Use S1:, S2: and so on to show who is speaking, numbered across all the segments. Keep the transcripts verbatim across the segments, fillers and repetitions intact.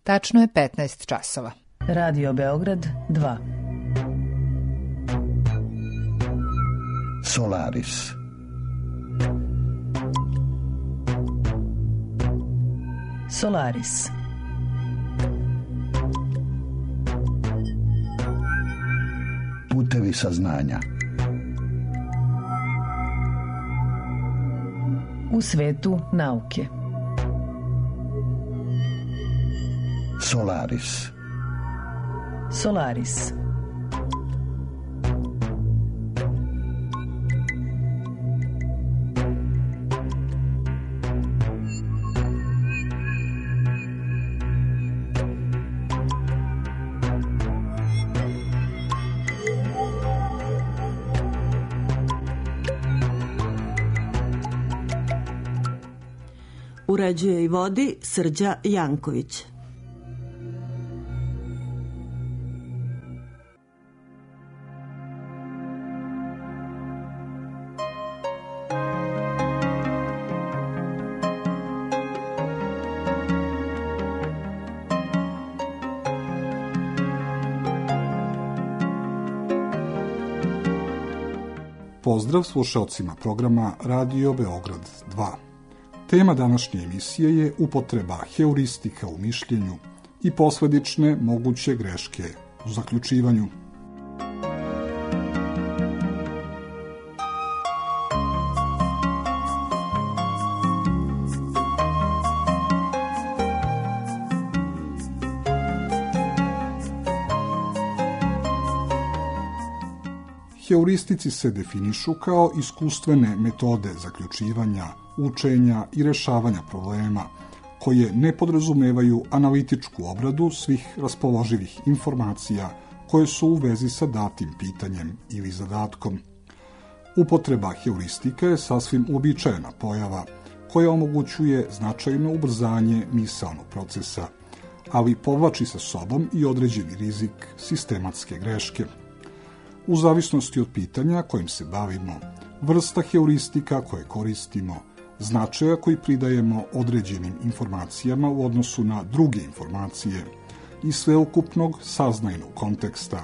S1: Tačno je petnaest časova.
S2: Radio Beograd dva.
S3: Solaris.
S2: Solaris.
S3: Putevi saznanja.
S2: U svetu nauke.
S3: Solaris.
S2: Solaris.
S4: Uređuje i vodi Srđa Janković.
S5: Pozdrav slušaocima programa Radio Beograd dva. Tema današnje emisije je upotreba heuristika u mišljenju i posledične moguće greške u zaključivanju. Heuristici se definišu kao iskustvene metode zaključivanja, učenja i rešavanja problema, koje ne podrazumevaju analitičku obradu svih raspoloživih informacija koje su u vezi sa datim pitanjem ili zadatkom. Upotreba heuristika je sasvim uobičajena pojava koja omogućuje značajno ubrzanje misaonog procesa, ali povlači sa sobom i određeni rizik sistematske greške. U zavisnosti od pitanja kojim se bavimo, vrsta heuristika koje koristimo, značaja koji pridajemo određenim informacijama u odnosu na druge informacije i sveukupnog saznajnog konteksta,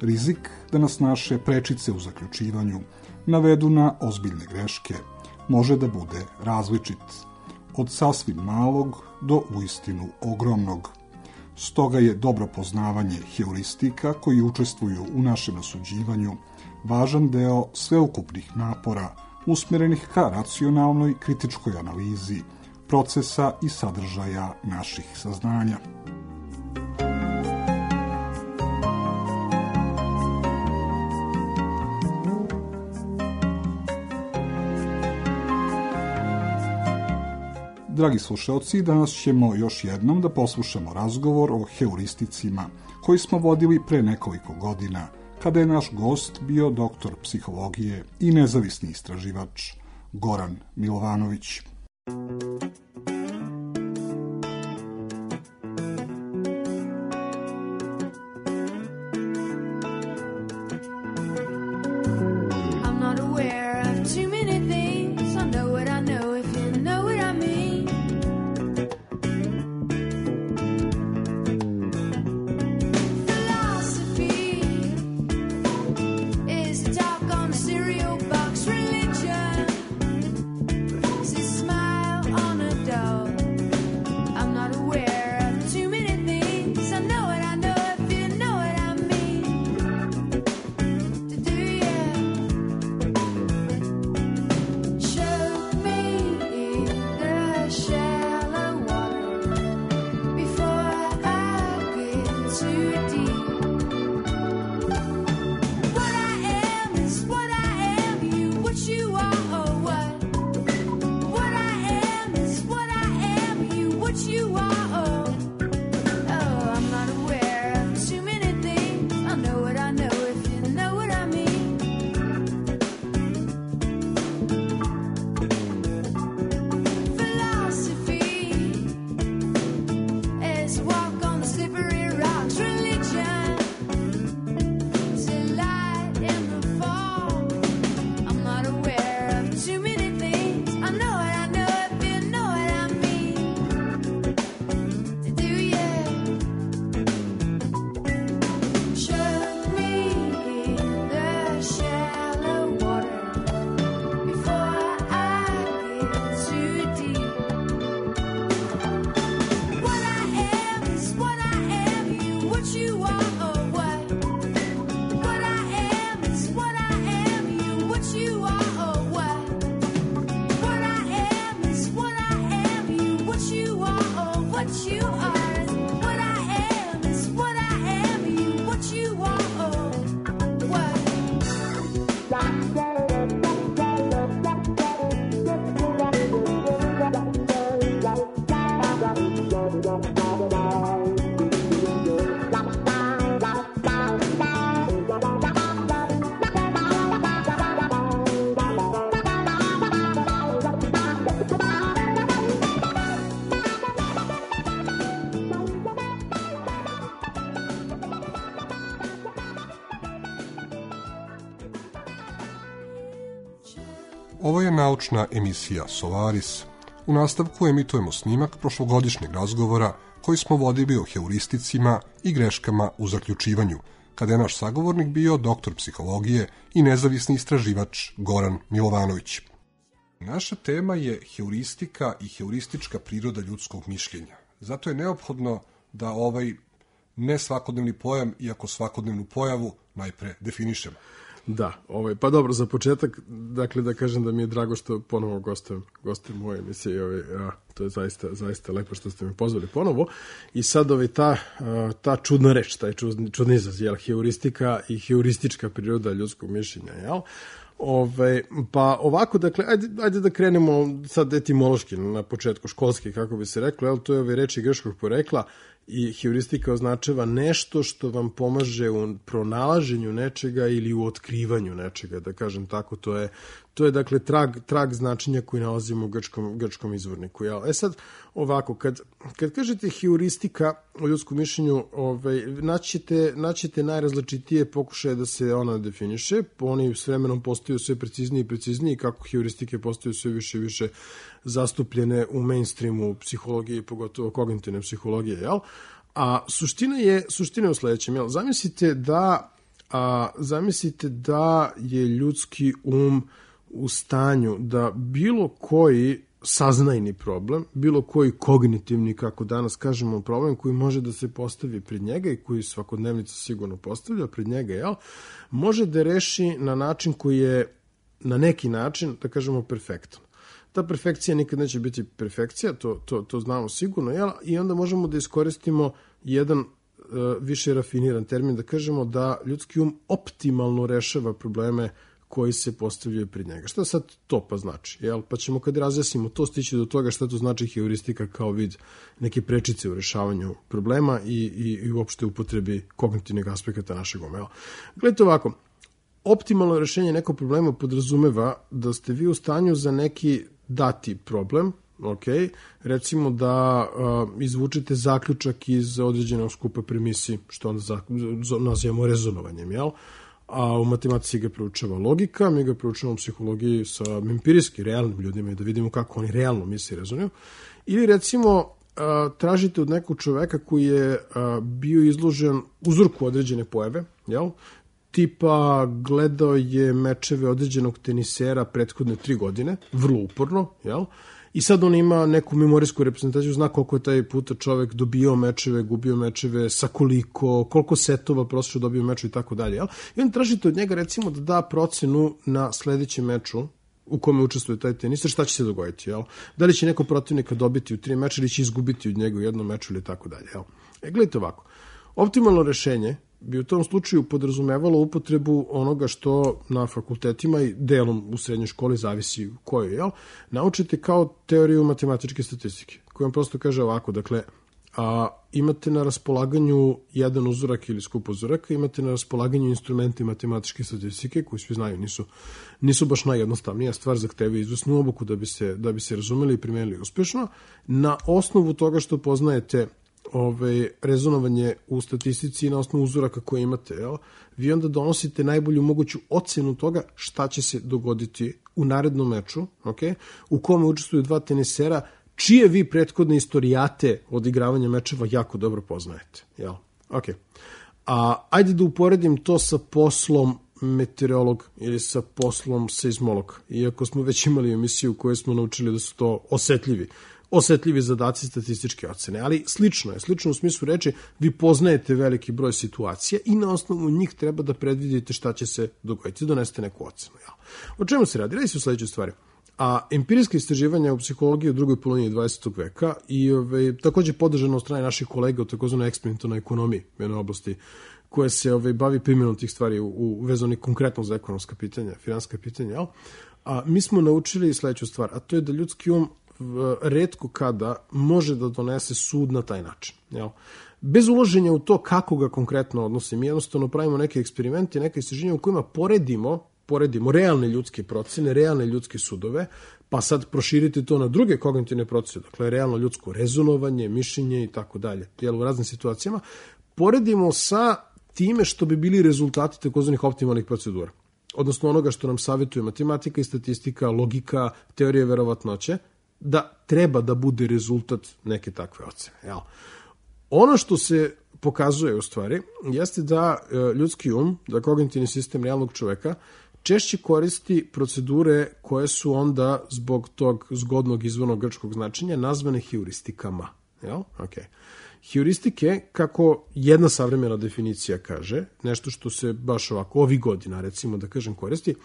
S5: rizik da nas naše prečice u zaključivanju navedu na ozbiljne greške može da bude različit, od sasvim malog do uistinu ogromnog. Stoga je dobro poznavanje heuristika koji učestvuju u našem rasuđivanju važan deo sveukupnih napora usmjerenih ka racionalnoj kritičkoj analizi procesa i sadržaja naših saznanja. Dragi slušalci, danas ćemo još jednom da poslušamo razgovor o heuristicima koji smo vodili pre nekoliko godina, kada je naš gost bio doktor psihologije i nezavisni istraživač Goran Milovanović.
S6: Cereal box religion, it's a smile on a dog.
S5: Ovo je naučna emisija Solaris. U nastavku emitujemo snimak prošlogodišnjeg razgovora koji smo vodili o heuristicima i greškama u zaključivanju, kada je naš sagovornik bio doktor psihologije i nezavisni istraživač Goran Milovanović. Naša tema je heuristika i heuristička priroda ljudskog mišljenja. Zato je neophodno da ovaj ne svakodnevni pojam, iako svakodnevnu pojavu, najpre definišemo.
S6: Da, ovaj, pa dobro, za početak, dakle da kažem da mi je drago što ponovo gostujem, gostujem u ovoj emisiji, ovaj, a, to je zaista, zaista lepo što ste me pozvali ponovo. I sad ovaj, ta, a, ta čudna reč, taj čudni, čudni izraz, jel, heuristika i heuristička priroda ljudskog mišljenja, jel? Ove, pa ovako, dakle, ajde, ajde da krenemo sad etimološki na početku, školski, kako bi se reklo, jel, to je ove reči grčkog porekla i heuristika označava nešto što vam pomaže u pronalaženju nečega ili u otkrivanju nečega, da kažem tako, to je, to je dakle trag, trag značenja koji nalazimo u grčkom, grčkom izvorniku. Jel? E sad, ovako, kad, kad kažete heuristika o ljudskom mišljenju, ovaj, naćete, naćete najrazličitije pokušaje da se ona definiše, oni s vremenom postaju sve precizniji i precizniji, kako heuristike postaju sve više i više zastupljene u mainstreamu psihologije, pogotovo kognitivne psihologije, jel? A suština je, suština je u sledećem, jel? Zamislite da, a, zamislite da je ljudski um u stanju da bilo koji saznajni problem, bilo koji kognitivni, kako danas kažemo, problem koji može da se postavi pred njega i koji svakodnevnica sigurno postavlja pred njega, jel? Može da reši na način koji je na neki način, da kažemo, perfektan. Ta perfekcija nikad neće biti perfekcija, to, to, to znamo sigurno, jel? I onda možemo da iskoristimo jedan uh, više rafiniran termin, da kažemo da ljudski um optimalno rešava probleme koji se postavljaju pred njega. Šta sad to pa znači? Jel? Pa ćemo kad razjasnimo to stići do toga šta to znači heuristika kao vid neke prečice u rešavanju problema i, i, i uopšte upotrebi kognitivnih aspekata našeg uma. Jel? Gledajte ovako, optimalno rešenje nekog problema podrazumeva da ste vi u stanju za neki dati problem, ok, recimo da uh, izvučete zaključak iz određenog skupa premisi, što onda za, nazivamo rezonovanjem, jel? A u matematici ga proučava logika, mi ga proučavamo u psihologiji sa empirijski, realnim ljudima i da vidimo kako oni realno misle i rezonuju. Ili recimo uh, tražite od nekog čoveka koji je uh, bio izložen uzorku određene pojave, jel? Tipa gledao je mečeve određenog tenisera prethodne tri godine, vrlo uporno, jel? I sad on ima neku memorijsku reprezentaciju, zna koliko je taj puta čovek dobio mečeve, gubio mečeve, sa koliko, koliko setova prosječno dobio meču i tako dalje, jel? I on tražite od njega recimo da da procenu na sledećem meču u kome učestvuje taj teniser, šta će se dogoditi, jel? Da li će neko protivnika dobiti u tri meča ili će izgubiti od njega u jednom meču ili tako dalje, jel? E, gledajte ovako, optimalno rešenje bi u tom slučaju podrazumevalo upotrebu onoga što na fakultetima i delom u srednjoj školi, zavisi u kojoj, jel, naučite kao teoriju matematičke statistike, koja vam prosto kaže ovako, dakle, a, imate na raspolaganju jedan uzorak ili skup uzoraka, imate na raspolaganju instrumenti matematičke statistike, koji svi znaju, nisu, nisu baš najjednostavnija stvar, zahtevaju izvesnu obuku da bi se, da bi se razumeli i primenili uspešno. Na osnovu toga što poznajete Ove, rezonovanje u statistici na osnovu uzoraka koje imate, jel? Vi onda donosite najbolju moguću ocenu toga šta će se dogoditi u narednom meču, okay? U kome učestvuju dva tenisera, čije vi prethodne istorijate odigravanja mečeva jako dobro poznajete. Jel? Okay. A ajde da uporedim to sa poslom meteorolog ili sa poslom seizmolog, iako smo već imali emisiju u kojoj smo naučili da su to osetljivi osetljivi zadaci statističke ocene, ali slično je, slično u smislu reči, vi poznajete veliki broj situacija i na osnovu njih treba da predvidite šta će se dogoditi, donesete neku ocenu. Ja. O čemu se radi? Radi se u sledećoj stvari. A empirijska istraživanja u psihologiji u drugoj polovini dvadesetog veka i ove, takođe podržano od strane naših kolega u takozvanoj eksperimentalnoj ekonomiji, u jednoj oblasti koja se ove, bavi primjenom tih stvari u, u vezani konkretno za ekonomska pitanja, finanska pitanja, jel? A mi smo naučili sledeću stvar, a to je da ljudski um retko kada može da donese sud na taj način. Jel? Bez uloženja u to kako ga konkretno odnosi, mi jednostavno pravimo neke eksperimente, neke istraženja u kojima poredimo, poredimo realne ljudske procene, realne ljudske sudove, pa sad proširite to na druge kognitivne procese, dakle realno ljudsko rezonovanje, mišljenje i tako dalje, jel, u raznim situacijama, poredimo sa time što bi bili rezultati takozvanih optimalnih procedura. odnosno onoga što nam savjetuje matematika i statistika, logika, teorija verovatnoće, da treba da bude rezultat neke takve ocene. Jel? Ono što se pokazuje u stvari jeste da ljudski um, da kognitivni sistem realnog čoveka češće koristi procedure koje su onda zbog tog zgodnog izvornog grčkog značenja nazvane heuristikama. Jel? Okay. Heuristike, kako jedna savremena definicija kaže, nešto što se baš ovako ovih godina, recimo da kažem, koristi,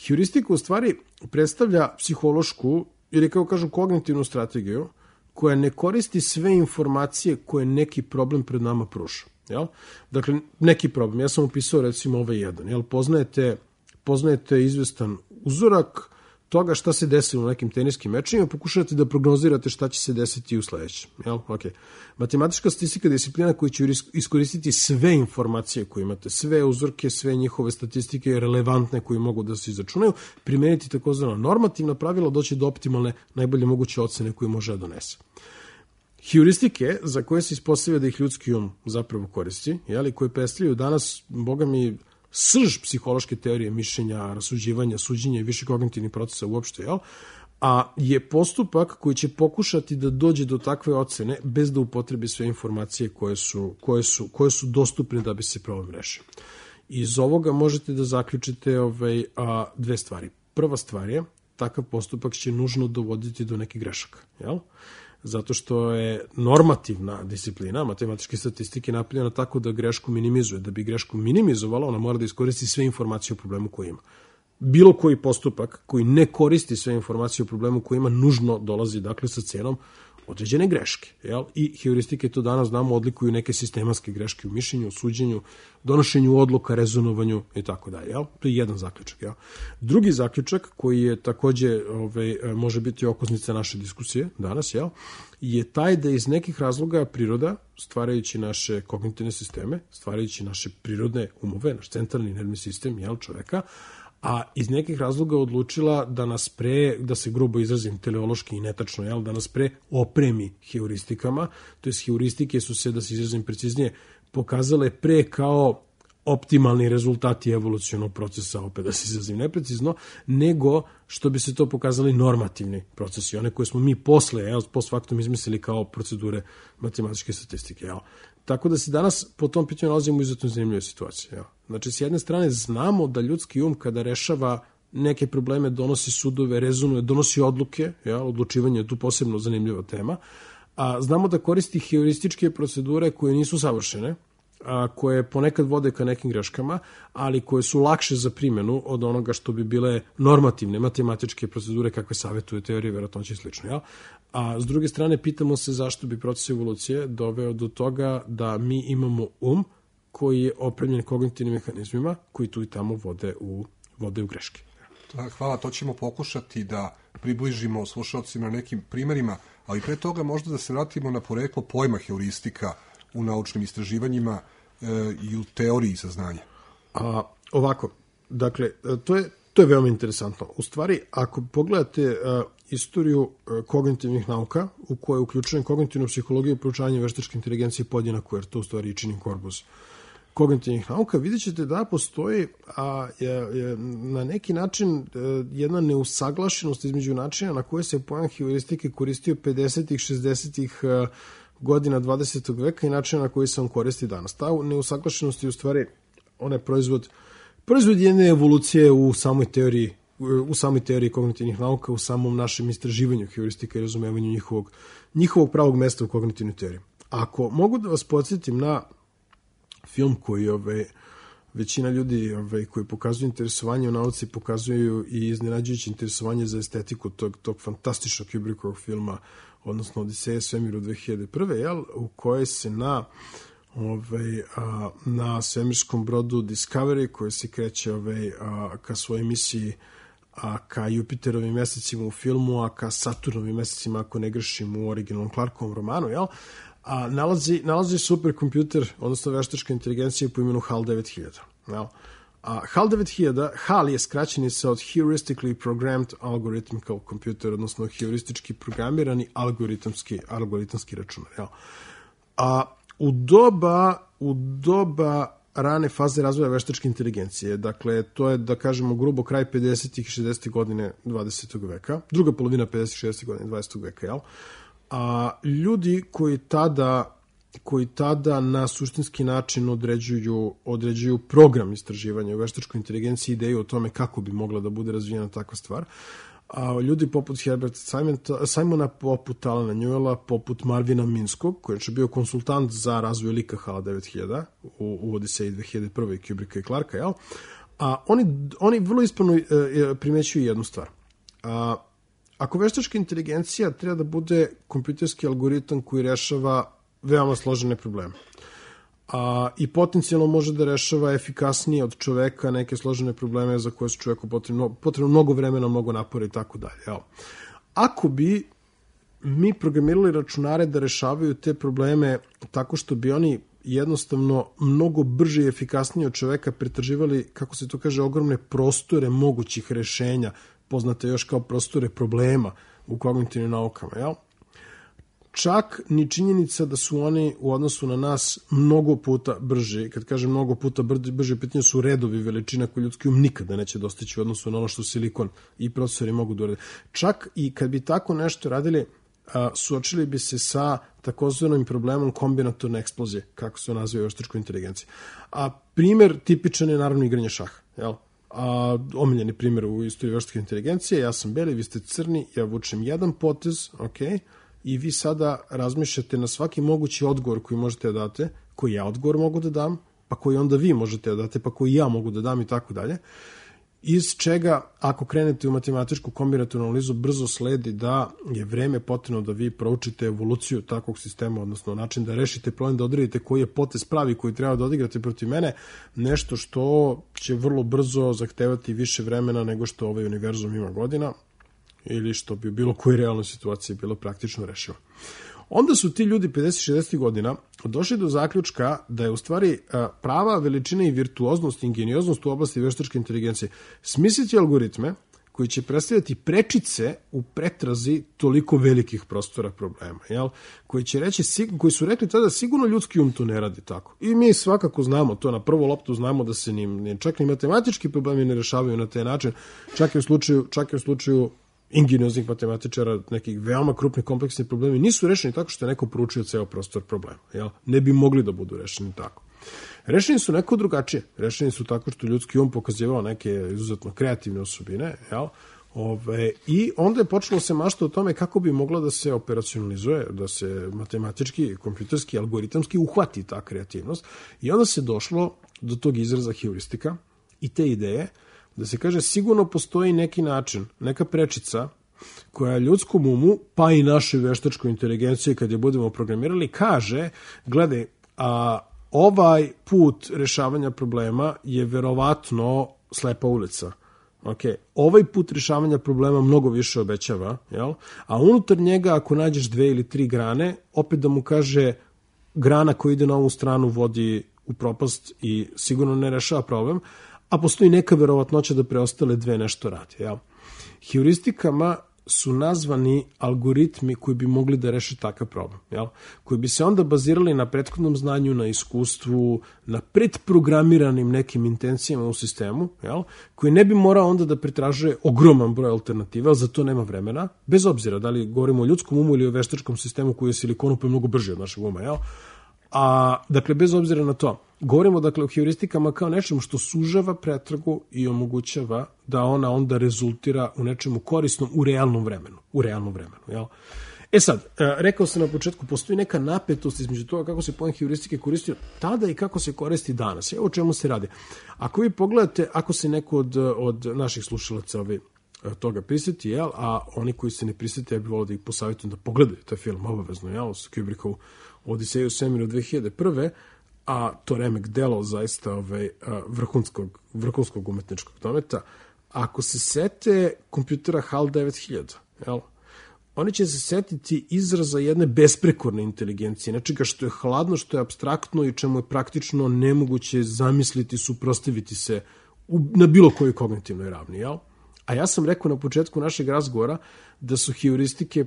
S6: heuristika u stvari predstavlja psihološku ili kako kažu kognitivnu strategiju koja ne koristi sve informacije koje neki problem pred nama pruža. Jel? Dakle, neki problem, ja sam upisao recimo ovaj jedan, jel? Poznajete, poznajete izvestan uzorak toga šta se desilo u nekim teniskim mečima, pokušavate da prognozirate šta će se desiti u sledećem. Jel? Okay. Matematička statistika je disciplina koja će iskoristiti sve informacije koje imate, sve uzorke, sve njihove statistike relevantne koje mogu da se izračunaju, primeniti takozvano normativna pravila, doći do optimalne, najbolje moguće ocene koje može da donese. Heuristike, za koje se ispostavlja da ih ljudski um zapravo koristi, jeli, koje predstavljaju danas, boga mi, srž psihološke teorije mišljenja, rasuđivanja, suđenja i više kognitivnih procesa uopšte, jel? A je postupak koji će pokušati da dođe do takve ocene bez da upotrebi sve informacije koje su, koje su, koje su dostupne da bi se problem rešio. Iz ovoga možete da zaključite ovaj, a, dve stvari. Prva stvar je, takav postupak će nužno dovoditi do nekih grešaka, jel? Zato što je normativna disciplina matematičke statistike napravljena tako da grešku minimizuje. Da bi grešku minimizovala, ona mora da iskoristi sve informacije o problemu koji ima. Bilo koji postupak koji ne koristi sve informacije o problemu koji ima, nužno dolazi dakle sa cenom određene greške. Jel? I heuristike to danas znamo odlikuju neke sistematske greške u mišljenju, u suđenju, donošenju odluka, rezonovanju i tako dalje. Jel? To je jedan zaključak. Jel? Drugi zaključak koji je takođe ovaj, može biti okosnica naše diskusije danas, jel? Je taj da iz nekih razloga priroda, stvarajući naše kognitivne sisteme, stvarajući naše prirodne umove, naš centralni nervni sistem, jel, čoveka, a iz nekih razloga odlučila da nas pre, da se grubo izrazim teleološki i netačno, jel, da nas pre opremi heuristikama, to je heuristike su se, da se izrazim preciznije, pokazale pre kao optimalni rezultati evolucionog procesa, opet da se izrazim neprecizno, nego što bi se to pokazali normativni procesi, one koje smo mi posle, jel, post factum izmislili kao procedure matematičke statistike, jel. Tako da se danas po tom pitanju nalazimo u izuzetno zanimljivoj situaciji. Jel. Znači, s jedne strane znamo da ljudski um kada rešava neke probleme donosi sudove, rezonuje, donosi odluke, jel, odlučivanje je tu posebno zanimljiva tema, a znamo da koristi heurističke procedure koje nisu savršene, a koje ponekad vode ka nekim greškama, ali koje su lakše za primjenu od onoga što bi bile normativne matematičke procedure kakve savjetuje teorije verovatnoće i slično. Jel? A s druge strane, pitamo se zašto bi proces evolucije doveo do toga da mi imamo um koji je opremljen kognitivnim mehanizmima koji tu i tamo vode u, vode u greške.
S7: Hvala, to ćemo pokušati da približimo slušalcima na nekim primjerima, ali pre toga možda da se vratimo na poreklo pojma heuristika u naučnim istraživanjima e, i u teoriji saznanja.
S6: A, ovako, dakle, to je, to je veoma interesantno. U stvari, ako pogledate a, istoriju a, kognitivnih nauka, u kojoj je uključujem kognitivnu psihologiju, proučavanje veštačke inteligencije podjednako, jer to u stvari i čini korpus kognitivnih nauka, vidjet ćete da postoji a, je, je, na neki način a, jedna neusaglašenost između načina na koje se pojam heuristike koristio pedesetih, šezdesetih a, godina dvadesetog veka i načina na koji se on koristi danas. Ta neusaglašenost je u stvari onaj proizvod, proizvod jedne evolucije u samoj teoriji, u samoj teoriji kognitivnih nauka, u samom našem istraživanju heuristika i razumevanju njihovog, njihovog pravog mesta u kognitivnoj teoriji. Ako mogu da vas podsjetim na film koji ove, većina ljudi ove, koji pokazuju interesovanje u nauci pokazuju i iznenađujuće interesovanje za estetiku tog, tog fantastičnog Kubrickovog filma, odnosno Odiseja svemiru dve hiljade prve. Jel, u kojoj se na, ovaj, a, na svemirskom brodu Discovery, koji se kreće ovaj, a, ka svojoj misiji, a ka Jupiterovim mesecima u filmu, a ka Saturnovim mesecima, ako ne grešim, u originalnom Clarkovom romanu, jel, a nalazi, nalazi superkompjuter, odnosno veštačka inteligencija po imenu HAL devet hiljada. Jel? A HAL devet hiljada, HAL je skraćenica od Heuristically Programmed Algorithmical Computer, odnosno heuristički programirani algoritamski, algoritamski računar. Jel? A u doba, u doba rane faze razvoja veštačke inteligencije. Dakle, to je, da kažemo, grubo kraj pedesetih i šezdesetih godine dvadesetog veka, druga polovina pedesetih i šezdesetih godine dvadesetog veka, jel? A ljudi koji tada koji tada na suštinski način određuju, određuju program istraživanja u veštačkoj inteligenciji, ideju o tome kako bi mogla da bude razvijena takva stvar. A ljudi poput Herberta Simona, poput Alana Newella, poput Marvina Minskog, koji je bio konsultant za razvoj lika HAL devet hiljada u, u Odiseji dve hiljade prve. Kubricka i Clarka, jel? A oni, oni vrlo ispravno e, primećuju jednu stvar. A, ako veštačka inteligencija treba da bude kompjuterski algoritam koji rešava veoma složene probleme, a, i potencijalno može da rešava efikasnije od čoveka neke složene probleme za koje su čoveku potrebno, potrebno mnogo vremena, mnogo napora i tako dalje. Ako bi mi programirali računare da rešavaju te probleme tako što bi oni jednostavno mnogo brže i efikasnije od čoveka pretraživali, kako se to kaže, ogromne prostore mogućih rešenja, poznate još kao prostore problema u kognitivnim naukama, jel? Čak ni činjenica da su oni u odnosu na nas mnogo puta brži, kad kažem mnogo puta brži, pitanje su redovi veličina koje ljudski um nikada neće dostići u odnosu na ono što silikon i procesori mogu da urade. Čak i kad bi tako nešto radili, a, suočili bi se sa takozvanim problemom kombinatorne eksplozije, kako se naziva u veštačkoj inteligenciji. A primer tipičan je naravno igranje šaha, jel? A, omiljeni primer u istoriji veštačke inteligencije, ja sam beli, vi ste crni, ja vučem jedan potez, okej, i vi sada razmišljate na svaki mogući odgovor koji možete da date, koji ja odgovor mogu da dam, pa koji onda vi možete da date, pa koji ja mogu da dam i tako dalje. Iz čega, ako krenete u matematičku kombinatornu analizu, brzo sledi da je vreme potrebno da vi proučite evoluciju takvog sistema, odnosno način da rešite problem, da odredite koji je potez pravi koji treba da odigrate protiv mene, nešto što će vrlo brzo zahtevati više vremena nego što ovaj univerzum ima godina, ili što bi u bilo kojoj realnoj situaciji bilo praktično rešivo. Onda su ti ljudi pedeset šezdeset godina došli do zaključka da je u stvari prava veličina i virtuoznost i ingenioznost u oblasti veštačke inteligencije smisliti algoritme koji će predstavljati prečice u pretrazi toliko velikih prostora problema, jel? Koji će reći, koji su rekli tada sigurno ljudski um to ne radi tako. I mi svakako znamo to, na prvu loptu znamo da se ni, čak ni matematički problemi ne rešavaju na taj način, čak i u slučaju, čak i u slučaju ingenioznih matematičara, nekih veoma krupnih kompleksnih problemi nisu rešeni tako što je neko proučio ceo prostor problema. Jel? Ne bi mogli da budu rešeni tako. Rešeni su neko drugačije. Rešeni su tako što ljudski um pokazivao neke izuzetno kreativne osobine, jel? Ove, i onda je počelo se mašta o tome kako bi mogla da se operacionalizuje, da se matematički, kompjuterski, algoritamski uhvati ta kreativnost. I onda se došlo do tog izraza heuristika i te ideje da se kaže sigurno postoji neki način, neka prečica koja ljudskom umu, pa i našoj veštačkoj inteligenciji kad je budemo programirali, kaže, gledaj, a ovaj put rešavanja problema je verovatno slepa ulica. Okay. Ovaj put rešavanja problema mnogo više obećava, jel? A unutar njega ako nađeš dve ili tri grane, opet da mu kaže grana koja ide na ovu stranu vodi u propast i sigurno ne rešava problem, a postoji neka verovatnoća da preostale dve nešto radi. Jel? Heuristikama su nazvani algoritmi koji bi mogli da reše takav problem, jel? Koji bi se onda bazirali na prethodnom znanju, na iskustvu, na predprogramiranim nekim intencijama u sistemu, jel? Koji ne bi morao onda da pretražuje ogroman broj alternativa, ali za to nema vremena, bez obzira da li govorimo o ljudskom umu ili o veštačkom sistemu koji je silikonu pa je mnogo brži od našeg uma, jel? A, dakle, bez obzira na to, govorimo dakle o heuristikama kao nečemu što sužava pretragu i omogućava da ona onda rezultira u nečemu korisnom u realnom vremenu. U realnom vremenu, jel? E sad, rekao sam na početku, postoji neka napetost između toga kako se pojem heuristike koristio tada i kako se koristi danas. Evo o čemu se radi. Ako vi pogledate, ako se neko od, od naših slušalaca ovi, toga prisjeti, jel? A oni koji se ne prisjeti, ja bih volio da ih posavjetujem da pogledaju taj film, obavezno, jel? Sa Kubrickovu Odiseju u svemiru dve hiljade prve. A to remek delo zaista ovaj, vrhunskog, vrhunskog umetničkog dometa. Ako se sete kompjutera HAL devet hiljada, jel? Oni će se setiti izraza jedne besprekorne inteligencije, nečega što je hladno, što je apstraktno i čemu je praktično nemoguće zamisliti, suprotstaviti se u, na bilo kojoj kognitivnoj ravni, jel? A ja sam rekao na početku našeg razgovora da su heuristike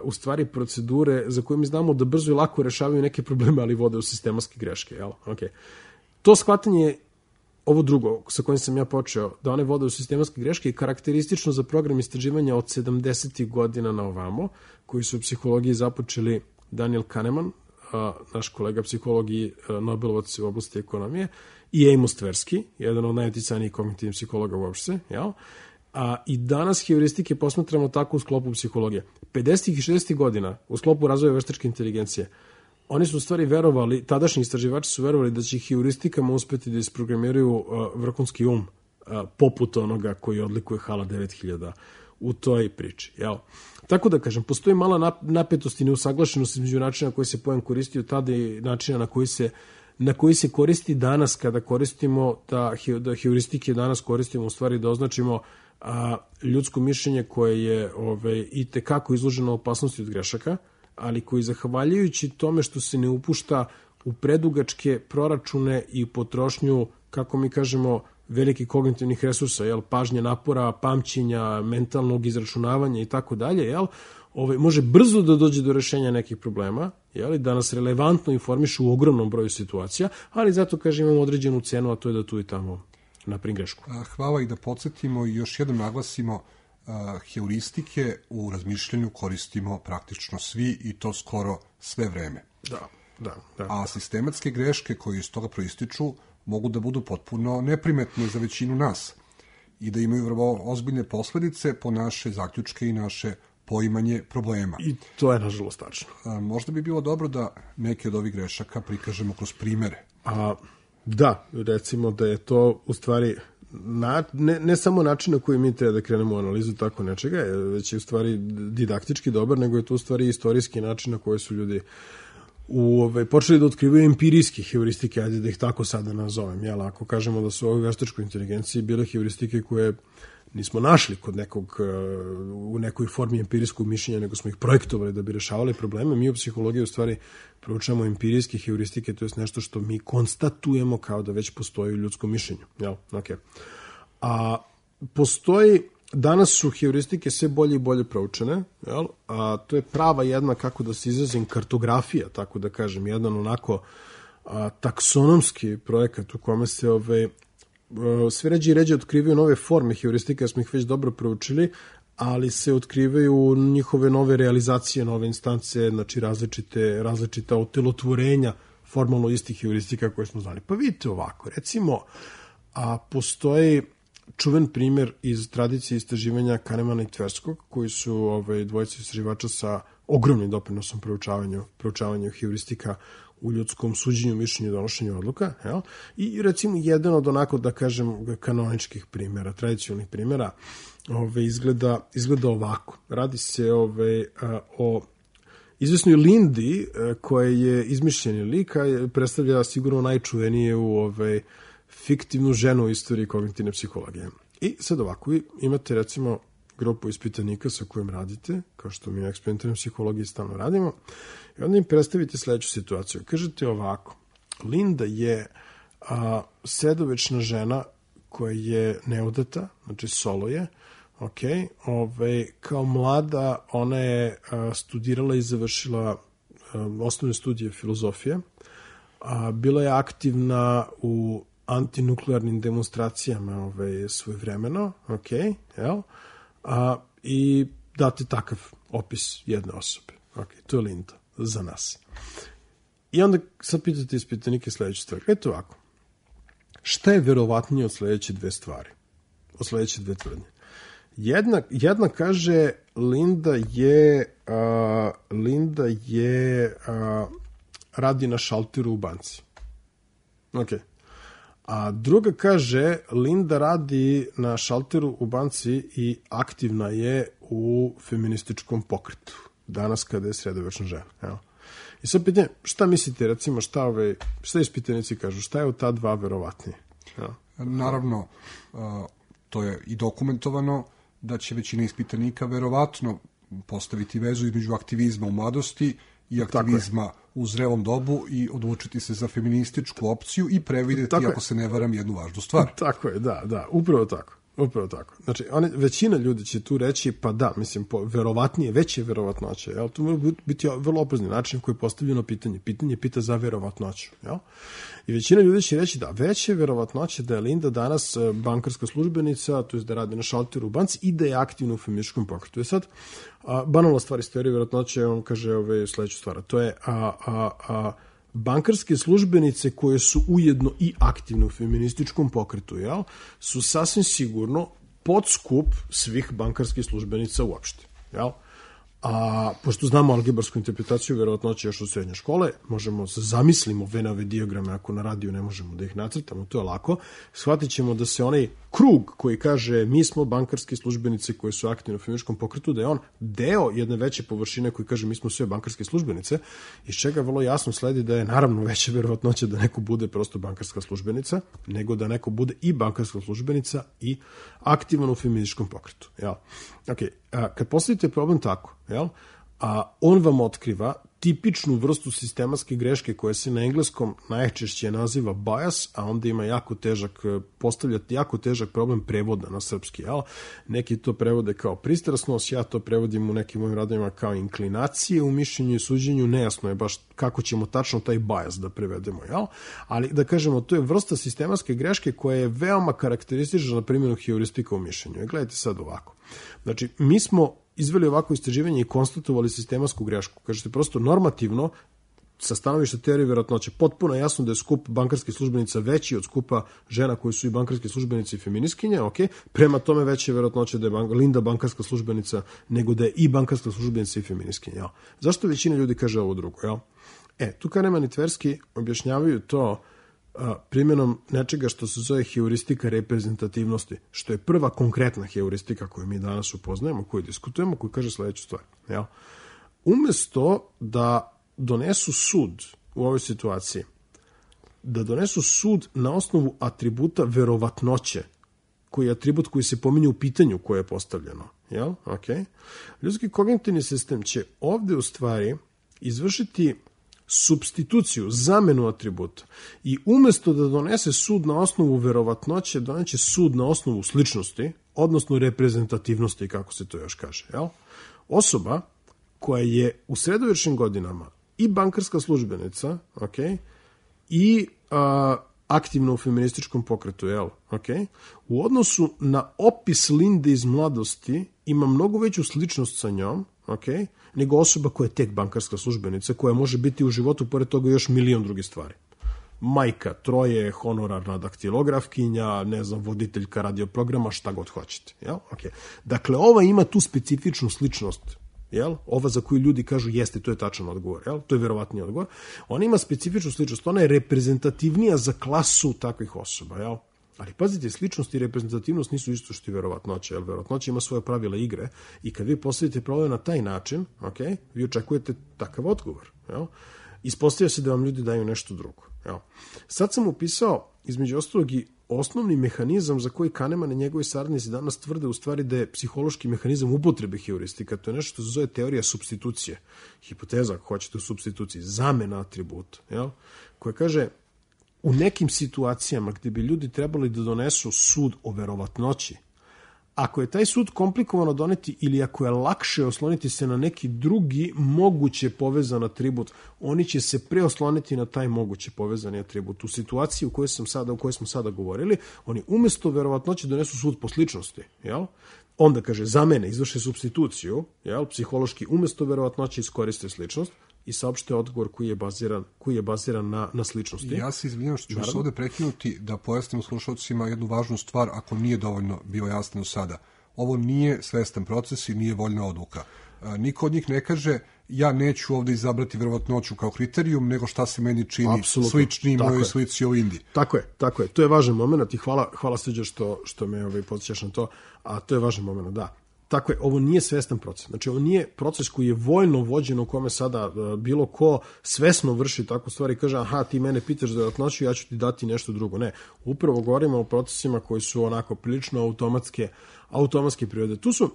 S6: u stvari procedure za koje mi znamo da brzo i lako rešavaju neke probleme, ali vode u sistematske greške. Jel? Okay. to shvatanje, ovo drugo sa kojim sam ja počeo, da one vode u sistematske greške, je karakteristično za program istraživanja od sedamdesetih godina na ovamo, koji su u psihologiji započeli Daniel Kahneman, naš kolega psiholog i Nobelovac u oblasti ekonomije, i Amos Tversky, jedan od najuticajnijih kognitivnih psihologa uopšte, jel? A, i danas heuristike posmatramo tako u sklopu psihologije. pedesetih i šezdesetih godina, u sklopu razvoja veštačke inteligencije, oni su u stvari verovali, tadašnji istraživači su verovali da će heuristikama uspeti da isprogramiraju uh, vrhunski um, uh, poput onoga koji odlikuje HALA devet hiljada u toj priči. Jel? Tako da kažem, postoji mala napetost i neusaglašenost između načina na koji se pojam koristio tada i načina na koji se na koji se koristi danas kada koristimo da, da heuristike danas koristimo u stvari da označimo a, ljudsko mišljenje koje je ove, i tekako izloženo opasnosti od grešaka, ali koji zahvaljujući tome što se ne upušta u predugačke proračune i potrošnju, kako mi kažemo, velikih kognitivnih resursa, jel, pažnje, napora, pamćenja, mentalnog izračunavanja i tako dalje, jel, Ove, može brzo da dođe do rešenja nekih problema, jel, da nas relevantno informišu u ogromnom broju situacija, ali zato, kažem, imamo određenu cenu, a to je da tu i tamo napravim grešku.
S7: Hvala i da podsjetimo i još jednom naglasimo, uh, heuristike u razmišljanju koristimo praktično svi i to skoro sve vreme.
S6: Da, da, da.
S7: A sistematske greške koje iz toga proističu mogu da budu potpuno neprimetne za većinu nas i da imaju vrlo ozbiljne posledice po naše zaključke i naše poimanje problema.
S6: I to je nažalost tačno.
S7: A, možda bi bilo dobro da neke od ovih grešaka prikažemo kroz primere.
S6: A, da, recimo da je to u stvari na, ne, ne samo način na koji mi treba da krenemo u analizu tako nečega, već je u stvari didaktički dobar, nego je to u stvari istorijski način na koji su ljudi u, ove, počeli da otkrivaju empirijske heuristike, ajde da ih tako sada nazovem. Jel? Ako kažemo da su u ovoj veštačkoj inteligenciji bile heuristike koje nismo našli kod nekog, u nekoj formi empirijskog mišljenja, nego smo ih projektovali da bi rešavali probleme. Mi u psihologiji u stvari proučavamo empirijske heuristike, to je nešto što mi konstatujemo kao da već postoji u ljudskom mišljenju. Jel? Okay. A postoji, danas su heuristike sve bolje i bolje proučene, jel? A to je prava jedna, kako da se izrazim, kartografija, tako da kažem, jedan onako a, taksonomski projekat u kome se ove sve ređe i ređe otkrivaju nove forme heuristika, smo ih već dobro proučili, ali se otkrivaju njihove nove realizacije, nove instance, znači različite, različita otelotvorenja formalno istih heuristika koje smo znali. Pa vidite ovako, recimo, a postoji čuven primjer iz tradicije istraživanja Kahnemana i Tverskog, koji su ove, dvojice istraživača sa ogromnim doprinosom proučavanju, proučavanju heuristika u ljudskom suđenju, mišljenju i donošenju odluka. Jel? I recimo jedan od onako, da kažem, kanoničkih primjera, tradicionalnih primjera, ove, izgleda, izgleda ovako. Radi se ove, a, o izvesnoj Lindi, a, koja je izmišljeni lik, a predstavlja sigurno najčuvenije u ove, fiktivnu ženu u istoriji kognitivne psihologije. I sad ovako, vi imate recimo grupu ispitanika sa kojim radite, kao što mi u eksperimentalnoj psihologiji stalno radimo, i onda im predstavite sledeću situaciju. Kažete ovako, Linda je a, sredovečna žena koja je neudata, znači solo je, ok, ove, kao mlada ona je a, studirala i završila a, osnovne studije filozofije, a, bila je aktivna u antinuklearnim demonstracijama ove, svojevremeno, ok, jel? A, i date takav opis jedne osobe. Ok, to je Linda za nas. I onda sad pitate ispitanike sledeću stvar. Eto ovako, šta je verovatnije od sledeće dve stvari? Od sledeće dve tvrdnje. Jedna, jedna kaže Linda je a, Linda je a, radi na šalteru u banci. Ok. A druga kaže, Linda radi na šalteru u banci i aktivna je u feminističkom pokretu. Danas kada je sredovečna žena. Evo. I sad pitanje, šta mislite, recimo, šta, ove, šta ispitanici kažu, šta je od ta dva verovatnije? Evo.
S7: Naravno, to je i dokumentovano da će većina ispitanika verovatno postaviti vezu između aktivizma u mladosti i aktivizma u zrelom dobu i odlučiti se za feminističku opciju i prevideti, ako se ne varam, jednu važnu stvar.
S6: Tako je, da, da, upravo tako. Upravo tako. Znači, one, većina ljudi će tu reći, pa da, mislim, po, verovatnije, veće verovatnoće, jel? To mora biti vrlo oprezni način koji je postavljeno pitanje. Pitanje pita za verovatnoću, jel? I većina ljudi će reći da veće verovatnoće da je Linda danas bankarska službenica, to je da radi na šalteru u banci i da je aktivna u feminističkom pokretu. I sad, a, banalna stvar iz teorije verovatnoće, on kaže ove, sledeću stvar, to je a, a, a, bankarske službenice koje su ujedno i aktivne u feminističkom pokretu, jel, su sasvim sigurno podskup svih bankarskih službenica uopšte, jel? A pošto znamo algebarsku interpretaciju verovatnoće još od srednje škole, možemo se zamislimo venove dijagrame, ako na radiju ne možemo da ih nacrtamo, to je lako, shvatit ćemo da se onaj krug koji kaže mi smo bankarske službenice koje su aktivne u feminističkom pokretu, da je on deo jedne veće površine koji kaže mi smo sve bankarske službenice, iz čega vrlo jasno sledi da je naravno veća verovatnoća da neko bude prosto bankarska službenica, nego da neko bude i bankarska službenica i aktivan u feminističkom pokretu. Jel? Ok, a, kad postavite problem tako, jel? A on vam otkriva tipičnu vrstu sistematske greške koja se na engleskom najčešće naziva bias, a onda ima jako težak, postavljati jako težak problem prevoda na srpski. Jel? Neki to prevode kao pristrasnost, ja to prevodim u nekim mojim radovima kao inklinacije u mišljenju i suđenju, nejasno je baš kako ćemo tačno taj bias da prevedemo. Jel? Ali da kažemo, to je vrsta sistematske greške koja je veoma karakteristična na primjenu heuristika u mišljenju. I gledajte sad ovako. Znači, mi smo izveli ovako istraživanje i konstatovali sistematsku grešku. Kažete, prosto normativno, sa stanovišta teorije verovatnoće, potpuno jasno da je skup bankarskih službenica veći od skupa žena koji su i bankarske službenice i feministkinje, ok, prema tome veće verovatnoće da je bank, Linda bankarska službenica nego da je i bankarska službenica i feministkinja. Jel? Zašto većina ljudi kaže ovo drugo? Jel? E, tu Kahneman i Tversky objašnjavaju to a, primjenom nečega što se zove heuristika reprezentativnosti, što je prva konkretna heuristika koju mi danas upoznajemo, koju diskutujemo, koju kaže sledeću stvar. Jel? Umesto da donesu sud u ovoj situaciji, da donesu sud na osnovu atributa verovatnoće, koji je atribut koji se pominje u pitanju koje je postavljeno. Jel? Okay. Ljudski kognitivni sistem će ovde u stvari izvršiti supstituciju, zamenu atributa i umesto da donese sud na osnovu verovatnoće, doneće sud na osnovu sličnosti, odnosno reprezentativnosti, kako se to još kaže. Jel? Osoba koja je u sredovječnim godinama i bankarska službenica, okay, i a, aktivno u feminističkom pokretu, jel? Okay, u odnosu na opis Linde iz mladosti ima mnogo veću sličnost sa njom, okay, nego osoba koja je tek bankarska službenica, koja može biti u životu, pored toga, još milion drugih stvari. Majka, troje, honorarna daktilografkinja, ne znam, voditeljka radioprograma, šta god hoćete. Jel? Okay. Dakle, ova ima tu specifičnu sličnost. Jel? Ova za koju ljudi kažu jeste, to je tačan odgovor, jel? To je verovatniji odgovor. Ona ima specifičnu sličnost, ona je reprezentativnija za klasu takvih osoba, jel? Ali pazite, sličnost i reprezentativnost nisu isto što i verovatnoća, jer verovatnoća ima svoje pravila igre i kad vi postavite problem na taj način, okay, vi očekujete takav odgovor. Jel? Ispostavlja se da vam ljudi daju nešto drugo. Jel? Sad sam upisao, između ostalog, i osnovni mehanizam za koji Kahneman i njegovi saradnici danas tvrde u stvari da je psihološki mehanizam upotrebe heuristika. To je nešto što se zove teorija supstitucije. Hipoteza, ako hoćete, u supstituciji, zamena atributa, jel? Koja kaže, u nekim situacijama gde bi ljudi trebali da donesu sud o verovatnoći, ako je taj sud komplikovano doneti ili ako je lakše osloniti se na neki drugi moguće povezan atribut, oni će se preosloniti na taj moguće povezani atribut. U situaciji u kojoj, sam sada, u kojoj smo sada govorili, oni umesto verovatnoće donesu sud po sličnosti, jel? Onda, kaže, za mene izvrše supstituciju, jel? Psihološki umesto verovatnoće iskoriste sličnost i saopšte odgovor koji je baziran, koji je baziran na, na sličnosti.
S7: Ja se izvinjam što ću vas ovde prekinuti da pojasnim slušalcima jednu važnu stvar, ako nije dovoljno bio jasno sada. Ovo nije svestan proces i nije voljna odluka. Niko od njih ne kaže ja neću ovde izabrati verovatnoću kao kriterijum, nego šta se meni čini Absolutno. Slični mojoj slici o Indiji.
S6: Tako je, tako je. To je važan moment i hvala, hvala Srđa što, što me ovaj, podsjećaš na to, a to je važan moment, da. tako je, ovo nije svestan proces. Znači, ovo nije proces koji je voljno vođen u kome sada uh, bilo ko svesno vrši takvu stvar i kaže, aha, ti mene pitaš za verovatnoću, ja ću ti dati nešto drugo. Ne, upravo govorimo o procesima koji su onako prilično automatske, automatske prirode. Tu su, uh,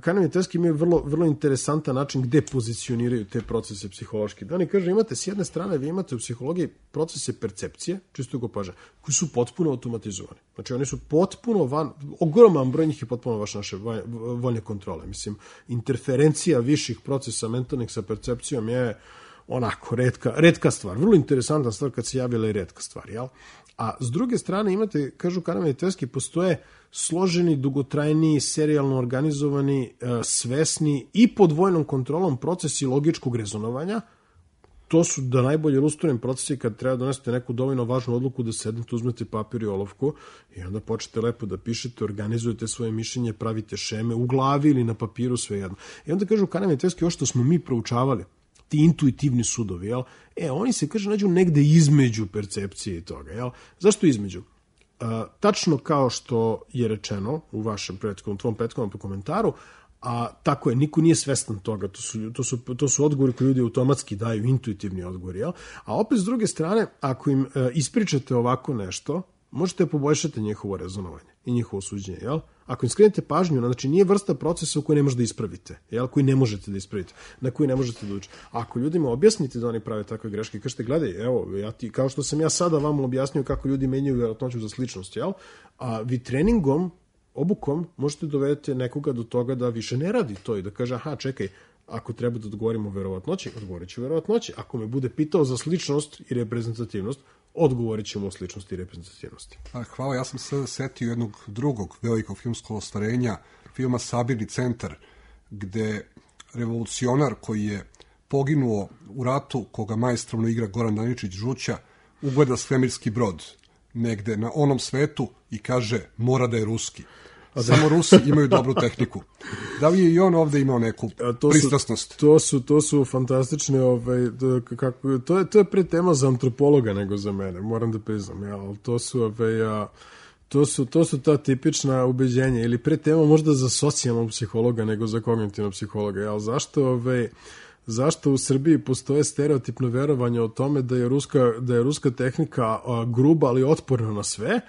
S6: Kahneman i Tversky imaju vrlo, vrlo interesantan način gde pozicioniraju te procese psihološki. Da oni kažu, imate s jedne strane, vi imate u psihologiji procese percepcije, čisto opaža, koji su potpuno automatizovani. Znači, oni su potpuno van, ogroman broj njih je potpuno vaš naše voljne kontrole. Mislim, interferencija viših procesa mentalnih sa percepcijom je onako redka, redka stvar. Vrlo interesantna stvar kad se javila i redka stvar, jel? A s druge strane imate, kažu Kahneman i Tversky, postoje složeni, dugotrajni, serijalno organizovani, svesni i pod vojnom kontrolom procesi logičkog rezonovanja. To su da najbolje ilustrujem procesi kad treba donesete neku dovoljno važnu odluku da sednete, uzmete papir i olovku i onda počnete lepo da pišete, organizujete svoje mišljenje, pravite šeme u glavi ili na papiru, svejedno. I onda kažu Kahneman i Tversky, ovo što smo mi proučavali, ti intuitivni sudovi, jel? E, oni se, kaže, nađu negde između percepcije i toga, jel? Zašto između? Uh, tačno kao što je rečeno u vašem prethodnom, tvom prethodnom komentaru, a tako je, niko nije svestan toga, to su, to su, to su odgovori koji ljudi automatski daju, intuitivni odgovori, jel? A opet s druge strane, ako im uh, ispričate ovako nešto, možete poboljšati njihovo rezonovanje i njihovo suđenje, jel? Ako im skrenete pažnju, znači nije vrsta procesa u kojoj ne možete da ispravite, jel? Koji ne možete da ispravite, na koji ne možete da učite. Ako ljudima objasnite da oni prave takve greške, kažete, gledaj, evo, ja ti, kao što sam ja sada vam objasnio kako ljudi menjaju verovatnoću za sličnost, jel? A vi treningom, obukom, možete dovedete nekoga do toga da više ne radi to i da kaže, aha, čekaj, ako treba da odgovorimo verovatnoći, odgovorit ću verovatnoći. Ako me bude pitao za sličnost i reprezentativnost, odgovorit ćemo o sličnosti i reprezentativnosti.
S7: Hvala, ja sam se setio jednog drugog velikog filmskog ostvarenja, filma Sabirni centar, gde revolucionar koji je poginuo u ratu, koga majstrovno igra Goran Daničić-Žuća, ugleda svemirski brod negde na onom svetu i kaže, mora da je ruski. Samo Rusi imaju dobru tehniku. Da li je i on ovde imao neku to pristrasnost?
S6: Su, to, su, to su fantastične, ovaj, kako, to, je, to je pre tema za antropologa nego za mene, moram da priznam. Ja, ali to su, ovaj, a, to, su, to su ta tipična ubeđenja, ili pre tema možda za socijalnog psihologa nego za kognitivnog psihologa. Ja, zašto, ovaj, zašto u Srbiji postoje stereotipno verovanje o tome da je ruska, da je ruska tehnika a, gruba, ali otporna na sve,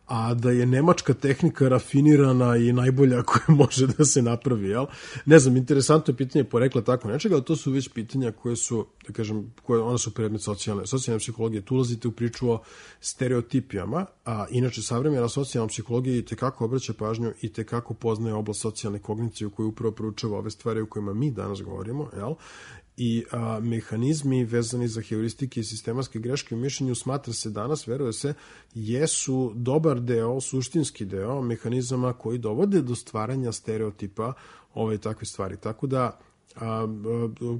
S6: a da je nemačka tehnika rafinirana i najbolja koja može da se napravi, jel? Ne znam, interesantno je pitanje porekla tako nečega, ali to su već pitanja koje su, da kažem, koje, one su predmet socijalne, socijalne psihologije. Tu ulazite u priču o stereotipijama, a inače savremena socijalna psihologija i tekako obraća pažnju i tekako poznaje oblast socijalne kognicije u kojoj upravo proučava ove stvari o kojima mi danas govorimo, jel? I a, mehanizmi vezani za heuristike i sistematske greške u mišljenju smatra se danas, veruje se, jesu dobar deo, suštinski deo mehanizama koji dovode do stvaranja stereotipa ove takve stvari. Tako da, a, a,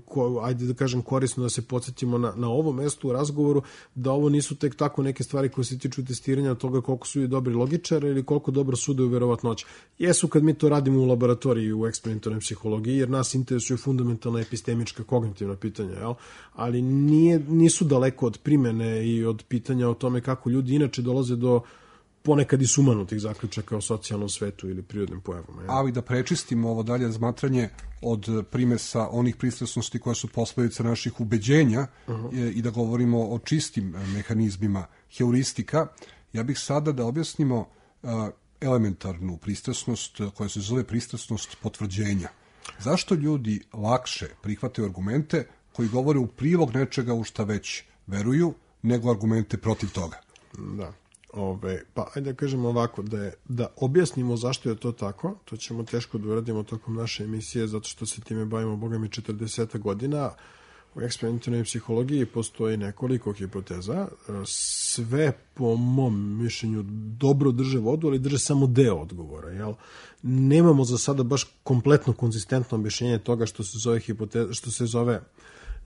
S6: ko, ajde da kažem korisno da se podsjetimo na, na ovom mestu u razgovoru, da ovo nisu tek tako neke stvari koje se tiču testiranja toga koliko su dobri logičari ili koliko dobro sude u verovatnoći. Jesu kad mi to radimo u laboratoriji u eksperimentalnoj psihologiji, jer nas interesuju fundamentalna epistemička kognitivna pitanja, jel? Ali nije, nisu daleko od primene i od pitanja o tome kako ljudi inače dolaze do ponekad i sumanutih zaključaka o socijalnom svetu ili prirodnim pojavama. Ja.
S7: Ali da prečistimo ovo dalje razmatranje od primesa onih pristrasnosti koja su posledica naših ubeđenja uh-huh. i da govorimo o čistim mehanizmima heuristika, ja bih sada da objasnimo uh, elementarnu pristrasnost koja se zove pristrasnost potvrđenja. Zašto ljudi lakše prihvataju argumente koji govore u prilog nečega u šta već veruju, nego argumente protiv toga?
S6: Da. Ove, pa ajde da kažemo ovako, da, je, da objasnimo zašto je to tako, to ćemo teško da uradimo tokom naše emisije, zato što se time bavimo, boga mi, četrdeset godina. U eksperimentalnoj psihologiji postoji nekoliko hipoteza, sve po mom mišljenju dobro drže vodu, ali drže samo deo odgovora. Jel? Nemamo za sada baš kompletno konzistentno objašnjenje toga što se zove hipoteza, što se zove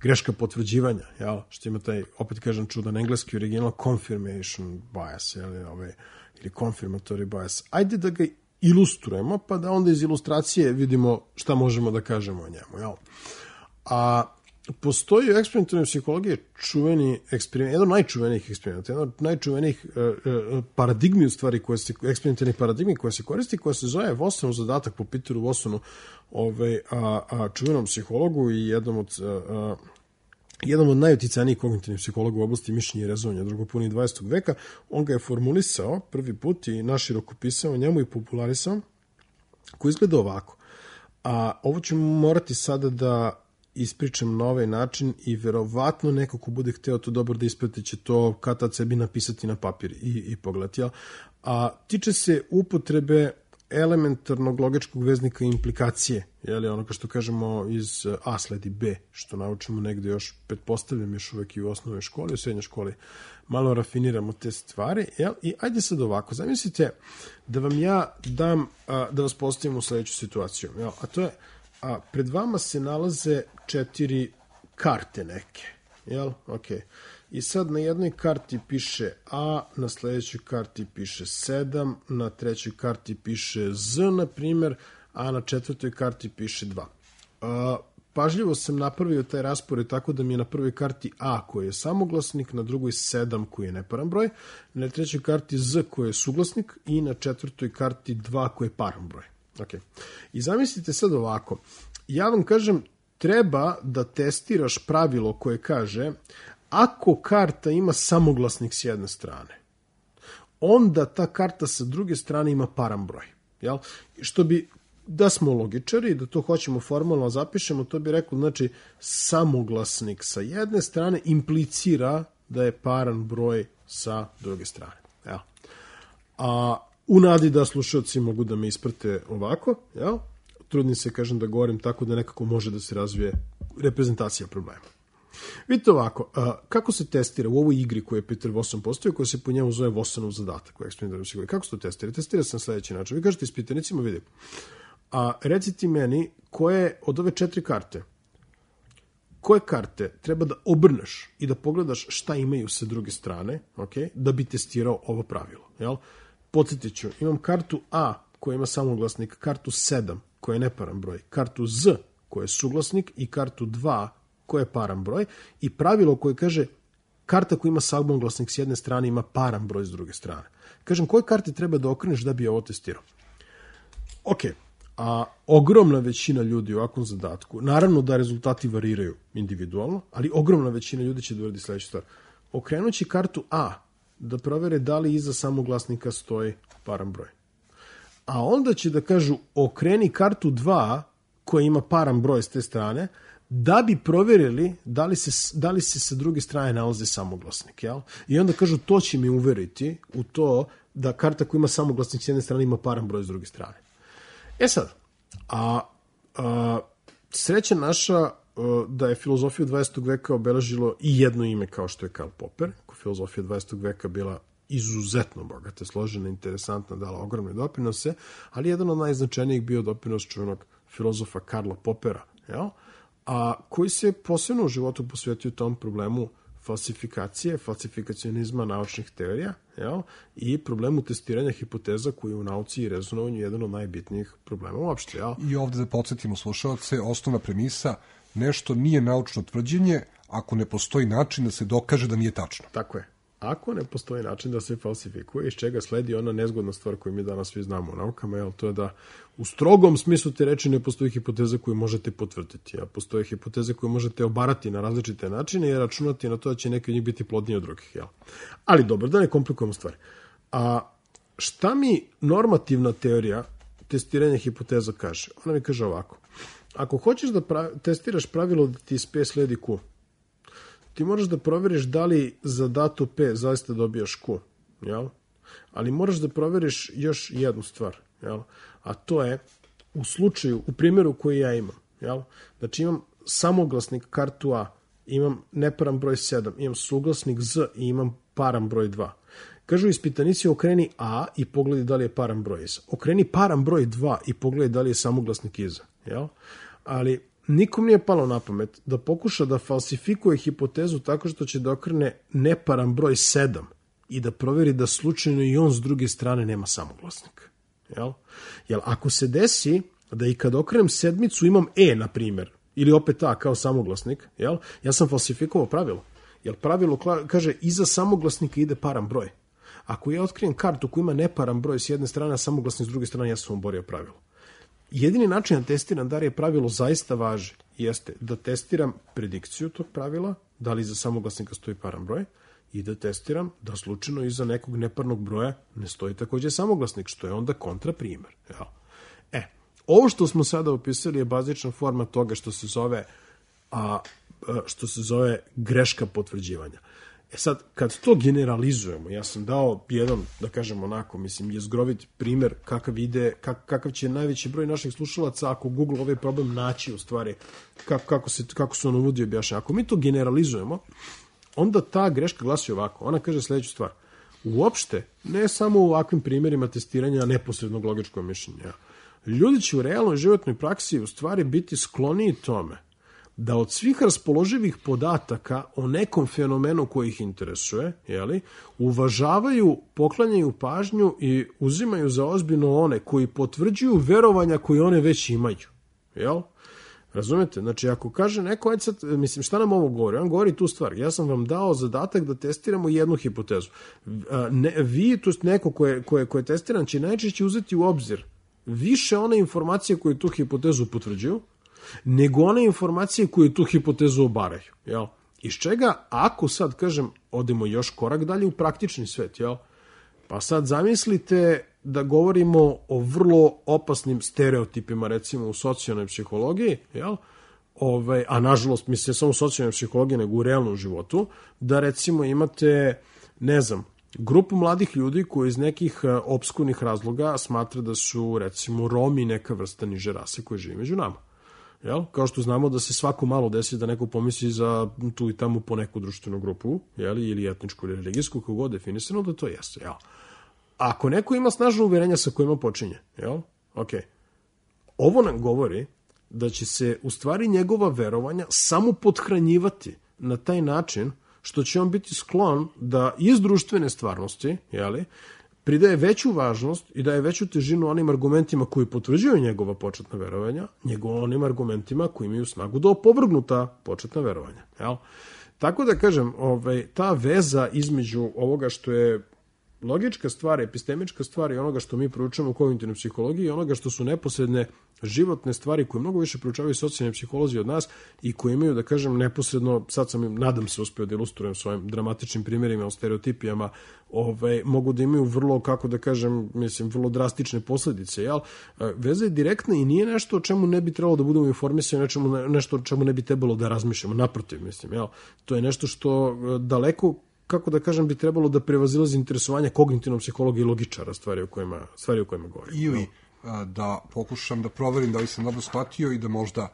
S6: greška potvrđivanja, jel? Što ima taj, opet kažem, čudan engleski original confirmation bias, jel? Ove, ili confirmatory bias. Ajde da ga ilustrujemo, pa da onda iz ilustracije vidimo šta možemo da kažemo o njemu. Jel? A postoji u eksperimentalnoj psihologiji čuveni eksperiment, jedan od najčuvenijih eksperimenta, jedan od najčuvenijih uh, uh, paradigmi u stvari, koje se, eksperimentalnih paradigmi koje se koristi, koja se zove Wassonov zadatak po Peteru Wassonu, ovaj, a, a čuvenom psihologu i jednom od uh, jednom od najuticajnijih kognitivnih psihologa u oblasti mišljenja i rezovanja drugoj polovini dvadesetog veka. On ga je formulisao prvi put i naširoko pisao njemu i popularisao, koji izgleda ovako. A ovo ću morati sada da ispričam na ovaj način i verovatno neko ko bude hteo to dobro da isprati će to kad tad sebi napisati na papir i, i pogledati. Ja? A tiče se upotrebe elementarnog logičkog veznika implikacije, je li ono kao što kažemo iz A sledi B, što naučimo negde još, pretpostavljam još uvek i u osnovnoj školi, u srednjoj školi, malo rafiniramo te stvari, jel? I ajde sad ovako, zamislite da vam ja dam, a, da vas postavim u sledeću situaciju, jel? A to je, a pred vama se nalaze četiri karte neke, jel? Okej. I sad na jednoj karti piše A, na sledećoj karti piše sedam, na trećoj karti piše Z, na primjer, a na četvrtoj karti piše dva. A, pažljivo sam napravio taj raspored tako da mi je na prvoj karti A koji je samoglasnik, na drugoj sedam koji je neparan broj, na trećoj karti Z koji je suglasnik i na četvrtoj karti dva koji je paran broj. Okay. I zamislite sad ovako, ja vam kažem treba da testiraš pravilo koje kaže ako karta ima samoglasnik s jedne strane, onda ta karta sa druge strane ima paran broj. Jel? Što bi, da smo logičari, da to hoćemo formalno zapišemo, to bi rekao, znači, samoglasnik sa jedne strane implicira da je paran broj sa druge strane. Jel? A u nadi da slušalci mogu da me isprate ovako, jel? Trudim se, kažem, da govorim tako da nekako može da se razvije reprezentacija problema. Vidite ovako, a, kako se testira u ovoj igri koju je Peter Wasson postavio, koja se po njemu zove Wassonov zadatak u eksperimentalnoj psihologiji. Kako se to testira? Testira se na sledeći način. Vi kažete ispitanicima, vidi, a reciti meni koje od ove četiri karte, koje karte treba da obrneš i da pogledaš šta imaju sa druge strane, okay, da bi testirao ovo pravilo. Jel? Podsjetit ću, imam kartu A koja ima samoglasnik, kartu sedam koja je neparan broj, kartu Z koja je suglasnik i kartu dva koja je paran broj i pravilo koje kaže karta koja ima samoglasnik s jedne strane ima paran broj s druge strane. Kažem, koje karte treba da okreneš da bi ovo testirao? Ok, a ogromna većina ljudi u ovakvom zadatku, naravno da rezultati variraju individualno, ali ogromna većina ljudi će da uradi sledeću stvar. Okrenući kartu A da provere da li iza samoglasnika stoji paran broj. A onda će da kažu okreni kartu dva koja ima paran broj s te strane, da bi proverili da li se, da li se sa druge strane nalaze samoglasnik. Jel? I onda kažu to će mi uveriti u to da karta koja ima samoglasnik s jedne strane ima paran broj s druge strane. E sad, a, a sreća naša a, da je filozofiju dvadesetog veka obeležilo i jedno ime kao što je Karl Popper, koja filozofija dvadesetog veka bila izuzetno bogata, složena, interesantna, dala ogromne doprinose, ali jedan od najznačajnijih bio doprinos čuvenog filozofa Karla Poppera, jel? A koji se posebno u životu posvetio tom problemu falsifikacije, falsifikacionizma naučnih teorija, jel? I problemu testiranja hipoteza koji je u nauci i rezonovanju jedan od najbitnijih problema uopšte. Jel?
S7: I ovde da podsjetimo slušalce, osnovna premisa, nešto nije naučno tvrđenje ako ne postoji način da se dokaže da nije tačno.
S6: Tako je. Ako ne postoji način da se falsifikuje, iz čega sledi ona nezgodna stvar koju mi danas svi znamo u naukama, jel, to je da u strogom smislu te reči ne postoji hipoteza koju možete potvrditi, a postoje hipoteze koje možete obarati na različite načine i računati na to da će neki od njih biti plodniji od drugih. Jel. Ali dobro, da ne komplikujemo stvari. A šta mi normativna teorija testiranja hipoteza kaže? Ona mi kaže ovako. Ako hoćeš da pravi, testiraš pravilo da ti iz P sledi Q, ti moraš da proveriš da li za dato P zaista dobijaš Q, jel? Ali moraš da proveriš još jednu stvar, jel? A to je u slučaju, u primjeru koji ja imam, jel? Znači imam samoglasnik kartu A, imam neparan broj sedam, imam suglasnik Z i imam paran broj dva. Kažu ispitanici okreni A i pogledaj da li je paran broj iza. Okreni paran broj dva i pogledaj da li je samoglasnik iza, jel? Ali nikom nije palo na pamet da pokuša da falsifikuje hipotezu tako što će da okrene neparan broj sedam i da proveri da slučajno i on s druge strane nema samoglasnik. Jel? Jel, ako se desi da i kad okrenem sedmicu imam E, na primjer, ili opet ta kao samoglasnik, jel? Ja sam falsifikovao pravilo. Jer pravilo kaže iza samoglasnika ide paran broj. Ako ja otkrijem kartu koja ima neparan broj s jedne strane, a samoglasnik s druge strane, ja sam oborio pravilo. Jedini način da testiram da li je pravilo zaista važi jeste da testiram predikciju tog pravila, da li iza samoglasnika stoji paran broj, i da testiram da slučajno iza nekog neparnog broja ne stoji takođe samoglasnik, što je onda kontraprimer. Jel? E, ovo što smo sada opisali je bazična forma toga što se zove a, što se zove greška potvrđivanja. E sad, kad to generalizujemo, ja sam dao jedan, da kažem onako, mislim, jezgrovit primer kakav ide, kak, kakav će najveći broj naših slušalaca, ako Google ovaj problem naći u stvari, kako, kako, se, kako se ono uvodi objašnja. Ako mi to generalizujemo, onda ta greška glasi ovako. Ona kaže sledeću stvar. Uopšte, ne samo u ovakvim primjerima testiranja neposrednog logičkog mišljenja, ljudi će u realnoj životnoj praksi u stvari biti skloniji tome da od svih raspoloživih podataka o nekom fenomenu koji ih interesuje, jeli, uvažavaju, poklanjaju pažnju i uzimaju za ozbiljno one koji potvrđuju verovanja koje one već imaju. Jel? Razumete? Znači, ako kaže neko, ajde sad, mislim, šta nam ovo govori? On govori tu stvar. Ja sam vam dao zadatak da testiramo jednu hipotezu. Ne, vi, to je neko koje, koje, koje testiran, će najčešće uzeti u obzir više one informacije koje tu hipotezu potvrđuju, nego one informacije koje tu hipotezu obaraju. Jel? Iz čega, ako sad, kažem, odemo još korak dalje u praktični svet, jel? Pa sad zamislite da govorimo o vrlo opasnim stereotipima, recimo u socijalnoj psihologiji, jel? Ove, a nažalost, mislim, samo u socijalnoj psihologiji, nego u realnom životu, da recimo imate, ne znam, grupu mladih ljudi koji iz nekih opskurnih razloga smatra da su, recimo, Romi neka vrsta niže rase koja živi među nama. Jel? Kao što znamo da se svako malo desi da neko pomisli za tu i tamo po neku društvenu grupu, jel? Ili etničku ili religijsku, kako god definisano, da to jeste. Jel? Ako neko ima snažno uverenja sa kojima počinje, jel? Okay. Ovo nam govori da će se u stvari njegova verovanja samo pothranjivati na taj način što će on biti sklon da iz društvene stvarnosti, jeli, pridaje veću važnost i daje veću težinu onim argumentima koji potvrđuju njegova početna verovanja, nego onim argumentima koji imaju snagu da opovrgnu ta početna verovanja. Jel? Tako da kažem, ovaj, ta veza između ovoga što je logička stvar, epistemička stvar i onoga što mi proučavamo u kognitivnoj psihologiji i onoga što su neposredne životne stvari koje mnogo više proučavaju socijalni psiholozi od nas i koje imaju, da kažem, neposredno, sad sam, nadam se, uspeo da ilustrujem svojim dramatičnim primjerima o stereotipijama, ovaj, mogu da imaju vrlo, kako da kažem, mislim, vrlo drastične posledice, jel? Veza je direktna i nije nešto o čemu ne bi trebalo da budemo informisani, nečemu, nešto o čemu ne bi trebalo da razmišljamo, naprotiv, mislim, jel? To je nešto što daleko, kako da kažem, bi trebalo da prevazilazi interesovanje kognitivnog psihologa i logičara stvari o kojima, stvari o kojima govorim.
S7: Ili da pokušam da proverim da li sam dobro shvatio i da možda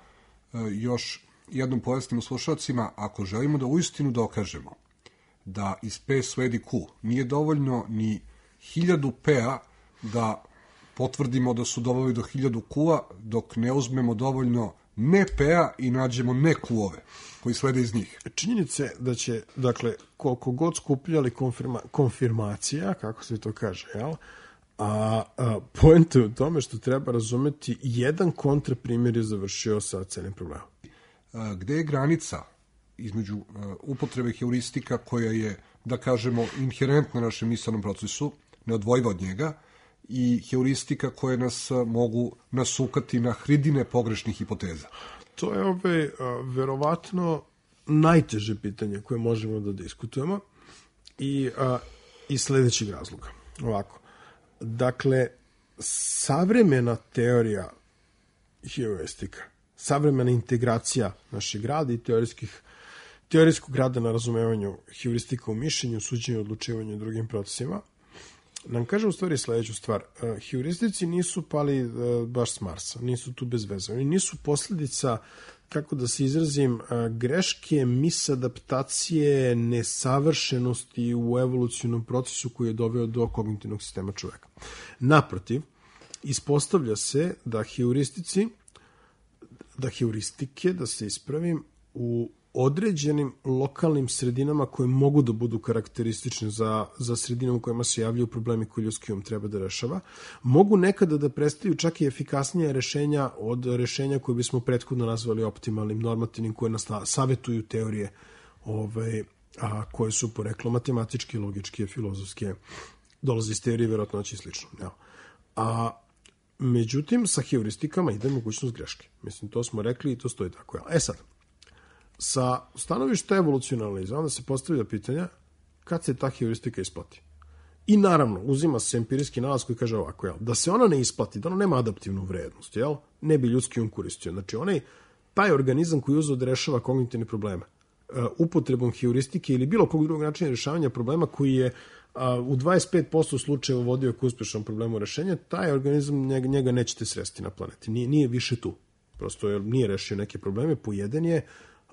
S7: još jednom pojasnimo slušalcima, ako želimo da uistinu dokažemo da iz P sledi Q, nije dovoljno ni hiljadu P-a da potvrdimo da su doveli do hiljadu Q-a, dok ne uzmemo dovoljno ne P-a i nađemo ne Q-ove koji slede iz njih.
S6: Činjenice da će, dakle, koliko god skupljali konfirma, konfirmacija, kako se to kaže, jel? A, a poenta je u tome što treba razumeti jedan kontraprimjer je završio sa celim problemom.
S7: A, gde je granica između a, upotrebe heuristika koja je, da kažemo, inherentna našem misalnom procesu, neodvojiva od njega, i heuristika koje nas a, mogu nasukati na hridine pogrešnih hipoteza?
S6: To je ove, a, verovatno najteže pitanje koje možemo da diskutujemo i a, iz sledećeg razloga. Ovako. Dakle, savremena teorija heuristika, savremena integracija našeg rada i teorijskih, teorijskog rada na razumevanju heuristika u mišljenju, suđenju, odlučivanju i drugim procesima, nam kaže u stvari sledeću stvar. Heuristici nisu pali baš s Marsa, nisu tu bez veze. Oni nisu posljedica, kako da se izrazim, greške, misadaptacije, nesavršenosti u evolucionom procesu koji je doveo do kognitivnog sistema čoveka. Naprotiv, ispostavlja se da heuristici, da heuristike, da se ispravim, u određenim lokalnim sredinama koje mogu da budu karakteristične za, za sredinu u kojima se javljaju problemi koje ljudski um treba da rešava, mogu nekada da predstavljaju čak i efikasnije rešenja od rešenja koje bismo prethodno nazvali optimalnim, normativnim, koje nas savetuju teorije ovaj, a, koje su poreklo matematičke, logičke, filozofske, dolaze iz teorije verovatnoće i slično. Ja. A međutim, sa heuristikama ide mogućnost greške. Mislim, to smo rekli i to stoji tako. Ja. E sad, sa stanovišta evolucionalizma onda se postavlja pitanja kad se ta heuristika isplati. I naravno, uzima se empirijski nalaz koji kaže ovako, jel, da se ona ne isplati, da ona nema adaptivnu vrednost, jel, ne bi ljudski um koristio. Znači, onaj, taj organizam koji uzeo da rešava kognitivne probleme, uh, upotrebom heuristike ili bilo kog drugog načina rešavanja problema koji je uh, u dvadeset pet posto slučajeva vodio k uspešnom problemu rešenja, taj organizam njega, njega nećete sresti na planeti. Nije, nije više tu. Prosto je, nije rešio neke probleme, pojeden je,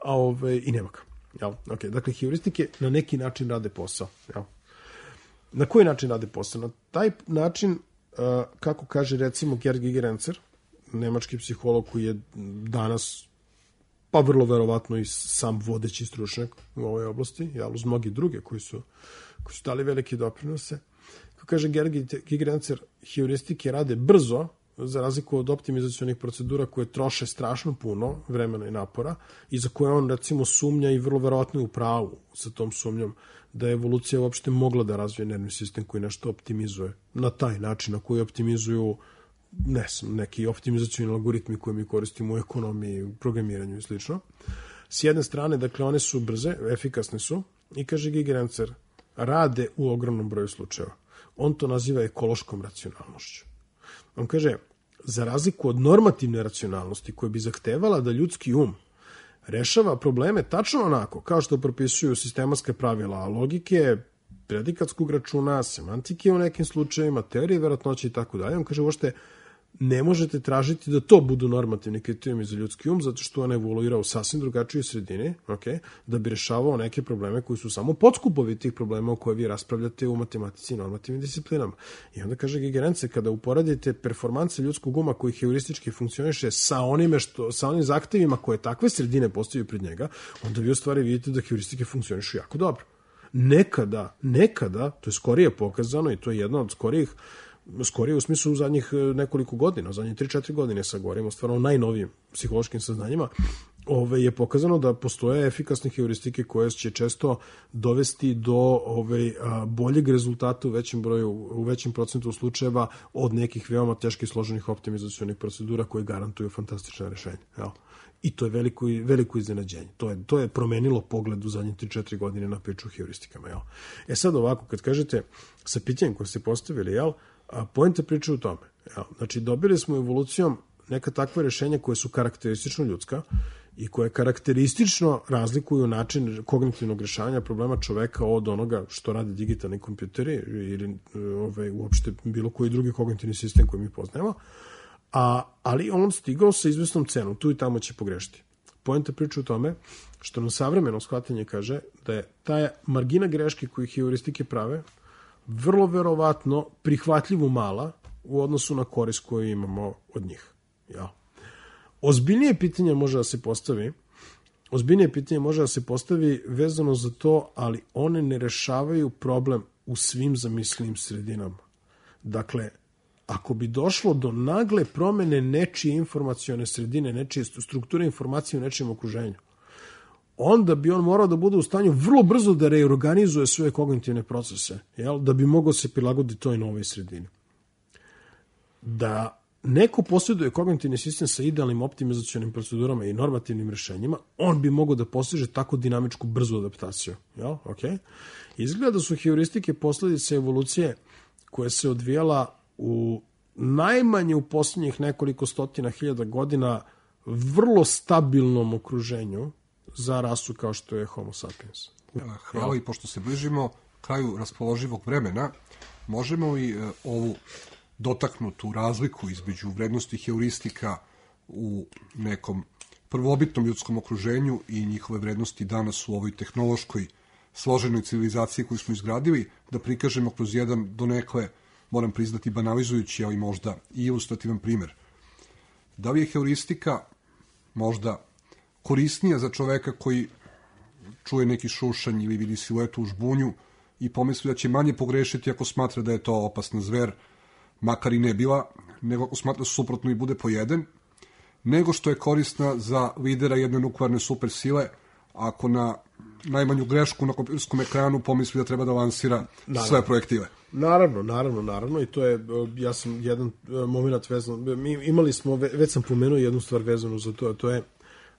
S6: a ove, i nema ga. Jel? Okay. Dakle, heuristike na neki način rade posao. Jel? Na koji način rade posao? Na taj način, uh, kako kaže recimo Gerd Gigerenzer, nemački psiholog koji je danas, pa vrlo verovatno i sam vodeći stručnjak u ovoj oblasti, jel, uz mnogi druge koji su, koji su dali velike doprinose. Kako kaže Gerd Gigerenzer, heuristike rade brzo, za razliku od optimizacionih procedura koje troše strašno puno vremena i napora i za koje on recimo sumnja i vrlo verovatno je u pravu sa tom sumnjom da je evolucija uopšte mogla da razvije nervni sistem koji nešto optimizuje na taj način na koji optimizuju ne znam, neki optimizacioni algoritmi koje mi koristimo u ekonomiji, u programiranju i slično. S jedne strane, dakle, one su brze, efikasne su i kaže Gigerenzer, rade u ogromnom broju slučajeva. On to naziva ekološkom racionalnošću. On kaže, za razliku od normativne racionalnosti koja bi zahtevala da ljudski um rešava probleme tačno onako, kao što propisuju sistematska pravila logike, predikatskog računa, semantike u nekim slučajevima, teorije verovatnoće i tako dalje. On kaže, uopšte ne možete tražiti da to budu normativni kriterijumi za ljudski um, zato što on evoluira u sasvim drugačijoj sredini, okay, da bi rešavao neke probleme koji su samo podskupovi tih problema o koje vi raspravljate u matematici i normativnim disciplinama. I onda kaže Gigerenzer, kada uporadite performanse ljudskog uma koji heuristički funkcioniše sa onime što, sa onim zahtevima koje takve sredine postavljaju pred njega, onda vi u stvari vidite da heuristike funkcionišu jako dobro. Nekada, nekada, to je skorije pokazano i to je jedno od skorijih, skorije u smislu u zadnjih nekoliko godina, u zadnjih tri četiri godine sa govorimo stvarno o najnovijim psihološkim saznanjima, ove, je pokazano da postoje efikasne heuristike koje će često dovesti do ove, a, boljeg rezultata u većem broju, u većem procentu slučajeva od nekih veoma teških složenih optimizacionih procedura koje garantuju fantastična rešenja. Jel? I to je veliko, veliko iznenađenje. To je, to je promenilo pogled u zadnje tri četiri godine na priču o heuristikama. Jel? E sad ovako, kad kažete sa pitanjem koje ste postavili, jel, a poenta priča u tome. Jel? Znači, dobili smo evolucijom neka takva rešenja koje su karakteristično ljudska i koje karakteristično razlikuju način kognitivnog rešavanja problema čoveka od onoga što rade digitalni kompjuteri ili ove, uopšte bilo koji drugi kognitivni sistem koji mi poznajemo. A, ali on stigao sa izvesnom cenom, tu i tamo će pogrešiti. Poenta priča u tome što nam savremeno shvatanje kaže da je ta margina greške koju heuristike prave vrlo verovatno prihvatljivo mala u odnosu na korist koju imamo od njih. Ja. Ozbiljnije pitanje može da se postavi ozbiljnije pitanje može da se postavi vezano za to, ali one ne rešavaju problem u svim zamislivim sredinama. Dakle, ako bi došlo do nagle promene nečije informacione sredine, nečije strukture informacije u nečijem okruženju, onda bi on morao da bude u stanju vrlo brzo da reorganizuje svoje kognitivne procese, jel? Da bi mogao se prilagoditi toj novoj sredini. Da neko posjeduje kognitivni sistem sa idealnim optimizacionim procedurama i normativnim rešenjima, on bi mogao da postiže tako dinamičku, brzu adaptaciju. Jel? Okay. Izgleda da su heuristike posledice evolucije koja se odvijala u najmanje u posljednjih nekoliko stotina hiljada godina vrlo stabilnom okruženju za rasu kao što je Homo sapiens.
S7: Hvala, i pošto se bližimo kraju raspoloživog vremena, možemo i e, ovu dotaknutu razliku između vrednosti heuristika u nekom prvobitnom ljudskom okruženju i njihove vrednosti danas u ovoj tehnološkoj složenoj civilizaciji koju smo izgradili, da prikažemo kroz jedan donekle, moram priznati, banalizujući, ali možda i ilustrativan primer. Da li je heuristika možda korisnija za čoveka koji čuje neki šušanj ili vidi siluetu u žbunju i pomisli da će manje pogrešiti ako smatra da je to opasna zver, makar i ne bila, nego ako smatra suprotno i bude pojeden, nego što je korisna za lidera jedne nuklearne supersile, ako na najmanju grešku na kompjuterskom ekranu pomisli da treba da lansira naravno sve projektile.
S6: Naravno, naravno, naravno i to je, ja sam jedan moment vezan, mi imali smo, već sam pomenuo jednu stvar vezanu za to, a to je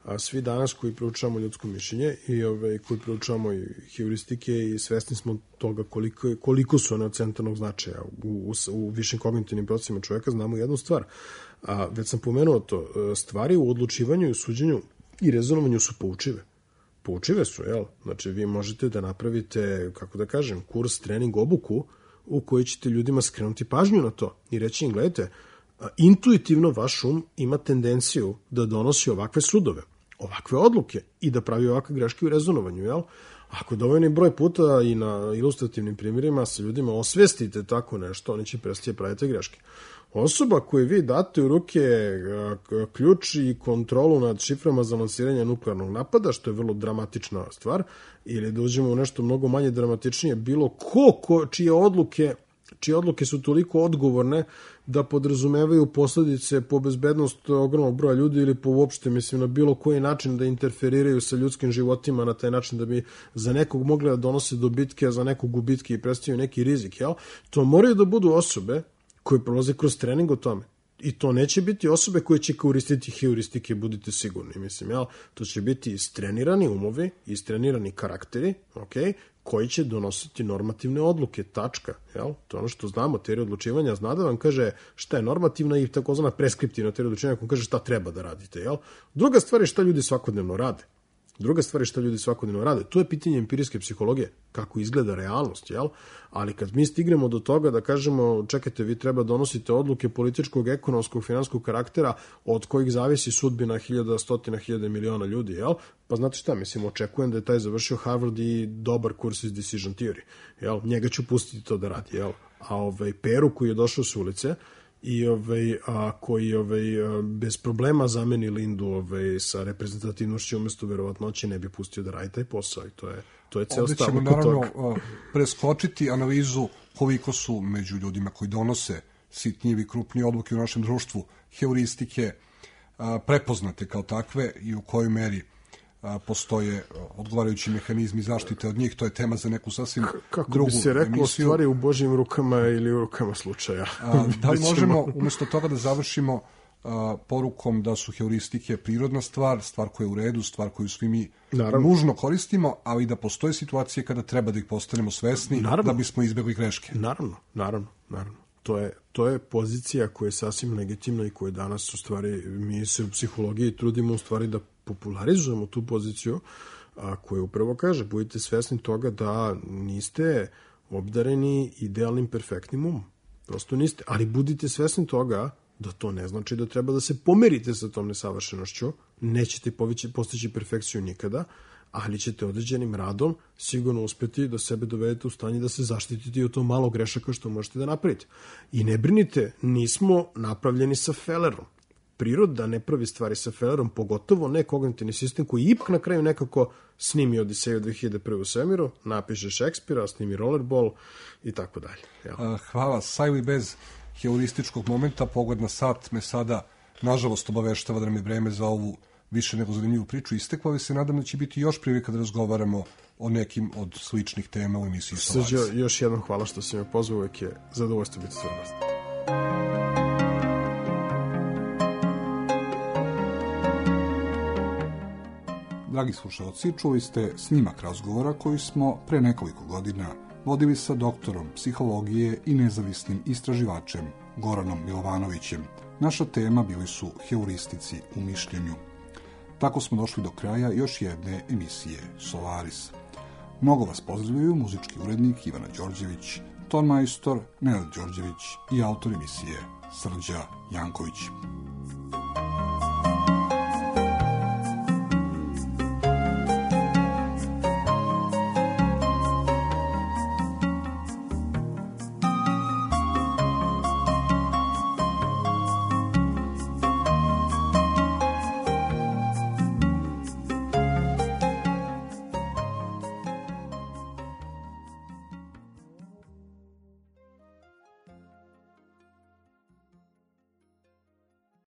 S6: a svi danas koji proučavamo ljudsko mišljenje i ove, koji proučavamo i heuristike i svesni smo toga koliko, koliko su one od centralnog značaja u, u, u višim kognitivnim procesima čovjeka, znamo jednu stvar. A, već sam pomenuo to, stvari u odlučivanju i u suđenju i rezonovanju su poučive. Poučive su, jel? Znači, vi možete da napravite, kako da kažem, kurs, trening, obuku u kojoj ćete ljudima skrenuti pažnju na to i reći im, gledajte, intuitivno vaš um ima tendenciju da donosi ovakve sudove, ovakve odluke i da pravi ovakve greške u rezonovanju, jel? Ako dovoljni broj puta i na ilustrativnim primjerima sa ljudima osvestite tako nešto, oni će prestati praviti greške. Osoba koju vi date u ruke ključ i kontrolu nad šiframa za lansiranje nuklearnog napada, što je vrlo dramatična stvar, ili da uđemo u nešto mnogo manje dramatičnije, bilo ko, ko čije odluke čije odluke su toliko odgovorne da podrazumevaju posledice po bezbednost ogromnog broja ljudi ili po uopšte, mislim, na bilo koji način da interferiraju sa ljudskim životima na taj način da bi za nekog mogli da donose dobitke, a za nekog gubitke i predstavljaju neki rizik, jel? To moraju da budu osobe koje prolaze kroz trening o tome. I to neće biti osobe koje će koristiti heuristike, budite sigurni, mislim, jel? To će biti istrenirani umovi, istrenirani karakteri, okej, koji će donositi normativne odluke, tačka, jel? To je ono što znamo, teorija odlučivanja zna da vam kaže šta je normativna i takozvana preskriptivna teorija odlučivanja, koja kaže šta treba da radite, jel? Druga stvar je šta ljudi svakodnevno rade. Druga stvar je šta ljudi svakodnevno rade. To je pitanje empirijske psihologije, kako izgleda realnost, jel? Ali kad mi stignemo do toga da kažemo, čekajte, vi treba donosite odluke političkog, ekonomskog, finanskog karaktera od kojih zavisi sudbina hiljada, stotina hiljada miliona ljudi, jel? Pa znate šta, mislim, očekujem da je taj završio Harvard i dobar kurs iz decision theory, jel? Njega ću pustiti to da radi, jel? A ovaj Peru koji je došao s ulice i ovaj, a, koji ovaj, a, bez problema zameni Lindu ovaj, sa reprezentativnošću umjesto verovatnoće ne bi pustio da radi taj posao i to je, to je ceo stav.
S7: Ovdje ćemo naravno a, preskočiti analizu koliko su među ljudima koji donose sitnije i krupnije odluke u našem društvu heuristike a, prepoznate kao takve i u kojoj meri a, postoje odgovarajući mehanizmi zaštite od njih. To je tema za neku sasvim
S6: Kako
S7: drugu
S6: bi se reklo,
S7: emisiju.
S6: stvari u Božjim rukama ili u rukama slučaja.
S7: A, da li možemo umjesto toga da završimo a, porukom da su heuristike prirodna stvar, stvar koja je u redu, stvar koju svi mi naravno nužno koristimo, ali da postoje situacije kada treba da ih postanemo svesni naravno da bismo izbjegli greške.
S6: Naravno, naravno, naravno. To je, to je pozicija koja je sasvim legitimna i koja danas u stvari, mi se u psihologiji trudimo u stvari da popularizujemo tu poziciju, a koja upravo kaže, budite svesni toga da niste obdareni idealnim, perfektnim umom. Prosto niste, ali budite svesni toga da to ne znači da treba da se pomerite sa tom nesavršenošću, nećete postići perfekciju nikada, ali ćete određenim radom sigurno uspjeti da sebe dovedete u stanje da se zaštitite od to malo grešaka što možete da napravite. I ne brinite, nismo napravljeni sa felerom. Priroda ne pravi stvari sa felerom, pogotovo ne kognitivni sistem koji ipak na kraju nekako snimi Odiseju dve hiljade prve u svemiru, napiše Šekspira, snimi Rollerball i tako dalje.
S7: Hvala. Sa ili bez heurističkog momenta, pogled na sat me sada, nažalost, obaveštava da nam je vreme za ovu više nego zanimljivu priču isteklo, ali se nadam da će biti još prilika da razgovaramo o nekim od sličnih tema u emisiji Solaris.
S6: Srđo, još jednom hvala što si me pozvao, uvijek je zadovoljstvo biti tvoj gost.
S5: Dragi slušalci, čuli ste snimak razgovora koji smo pre nekoliko godina vodili sa doktorom psihologije i nezavisnim istraživačem Goranom Milovanovićem. Naša tema bili su heuristici u mišljenju. Tako smo došli do kraja još jedne emisije Solaris. Mnogo vas pozdravljaju muzički urednik Ivana Đorđević, ton majstor Nenad Đorđević i autor emisije Srđa Janković.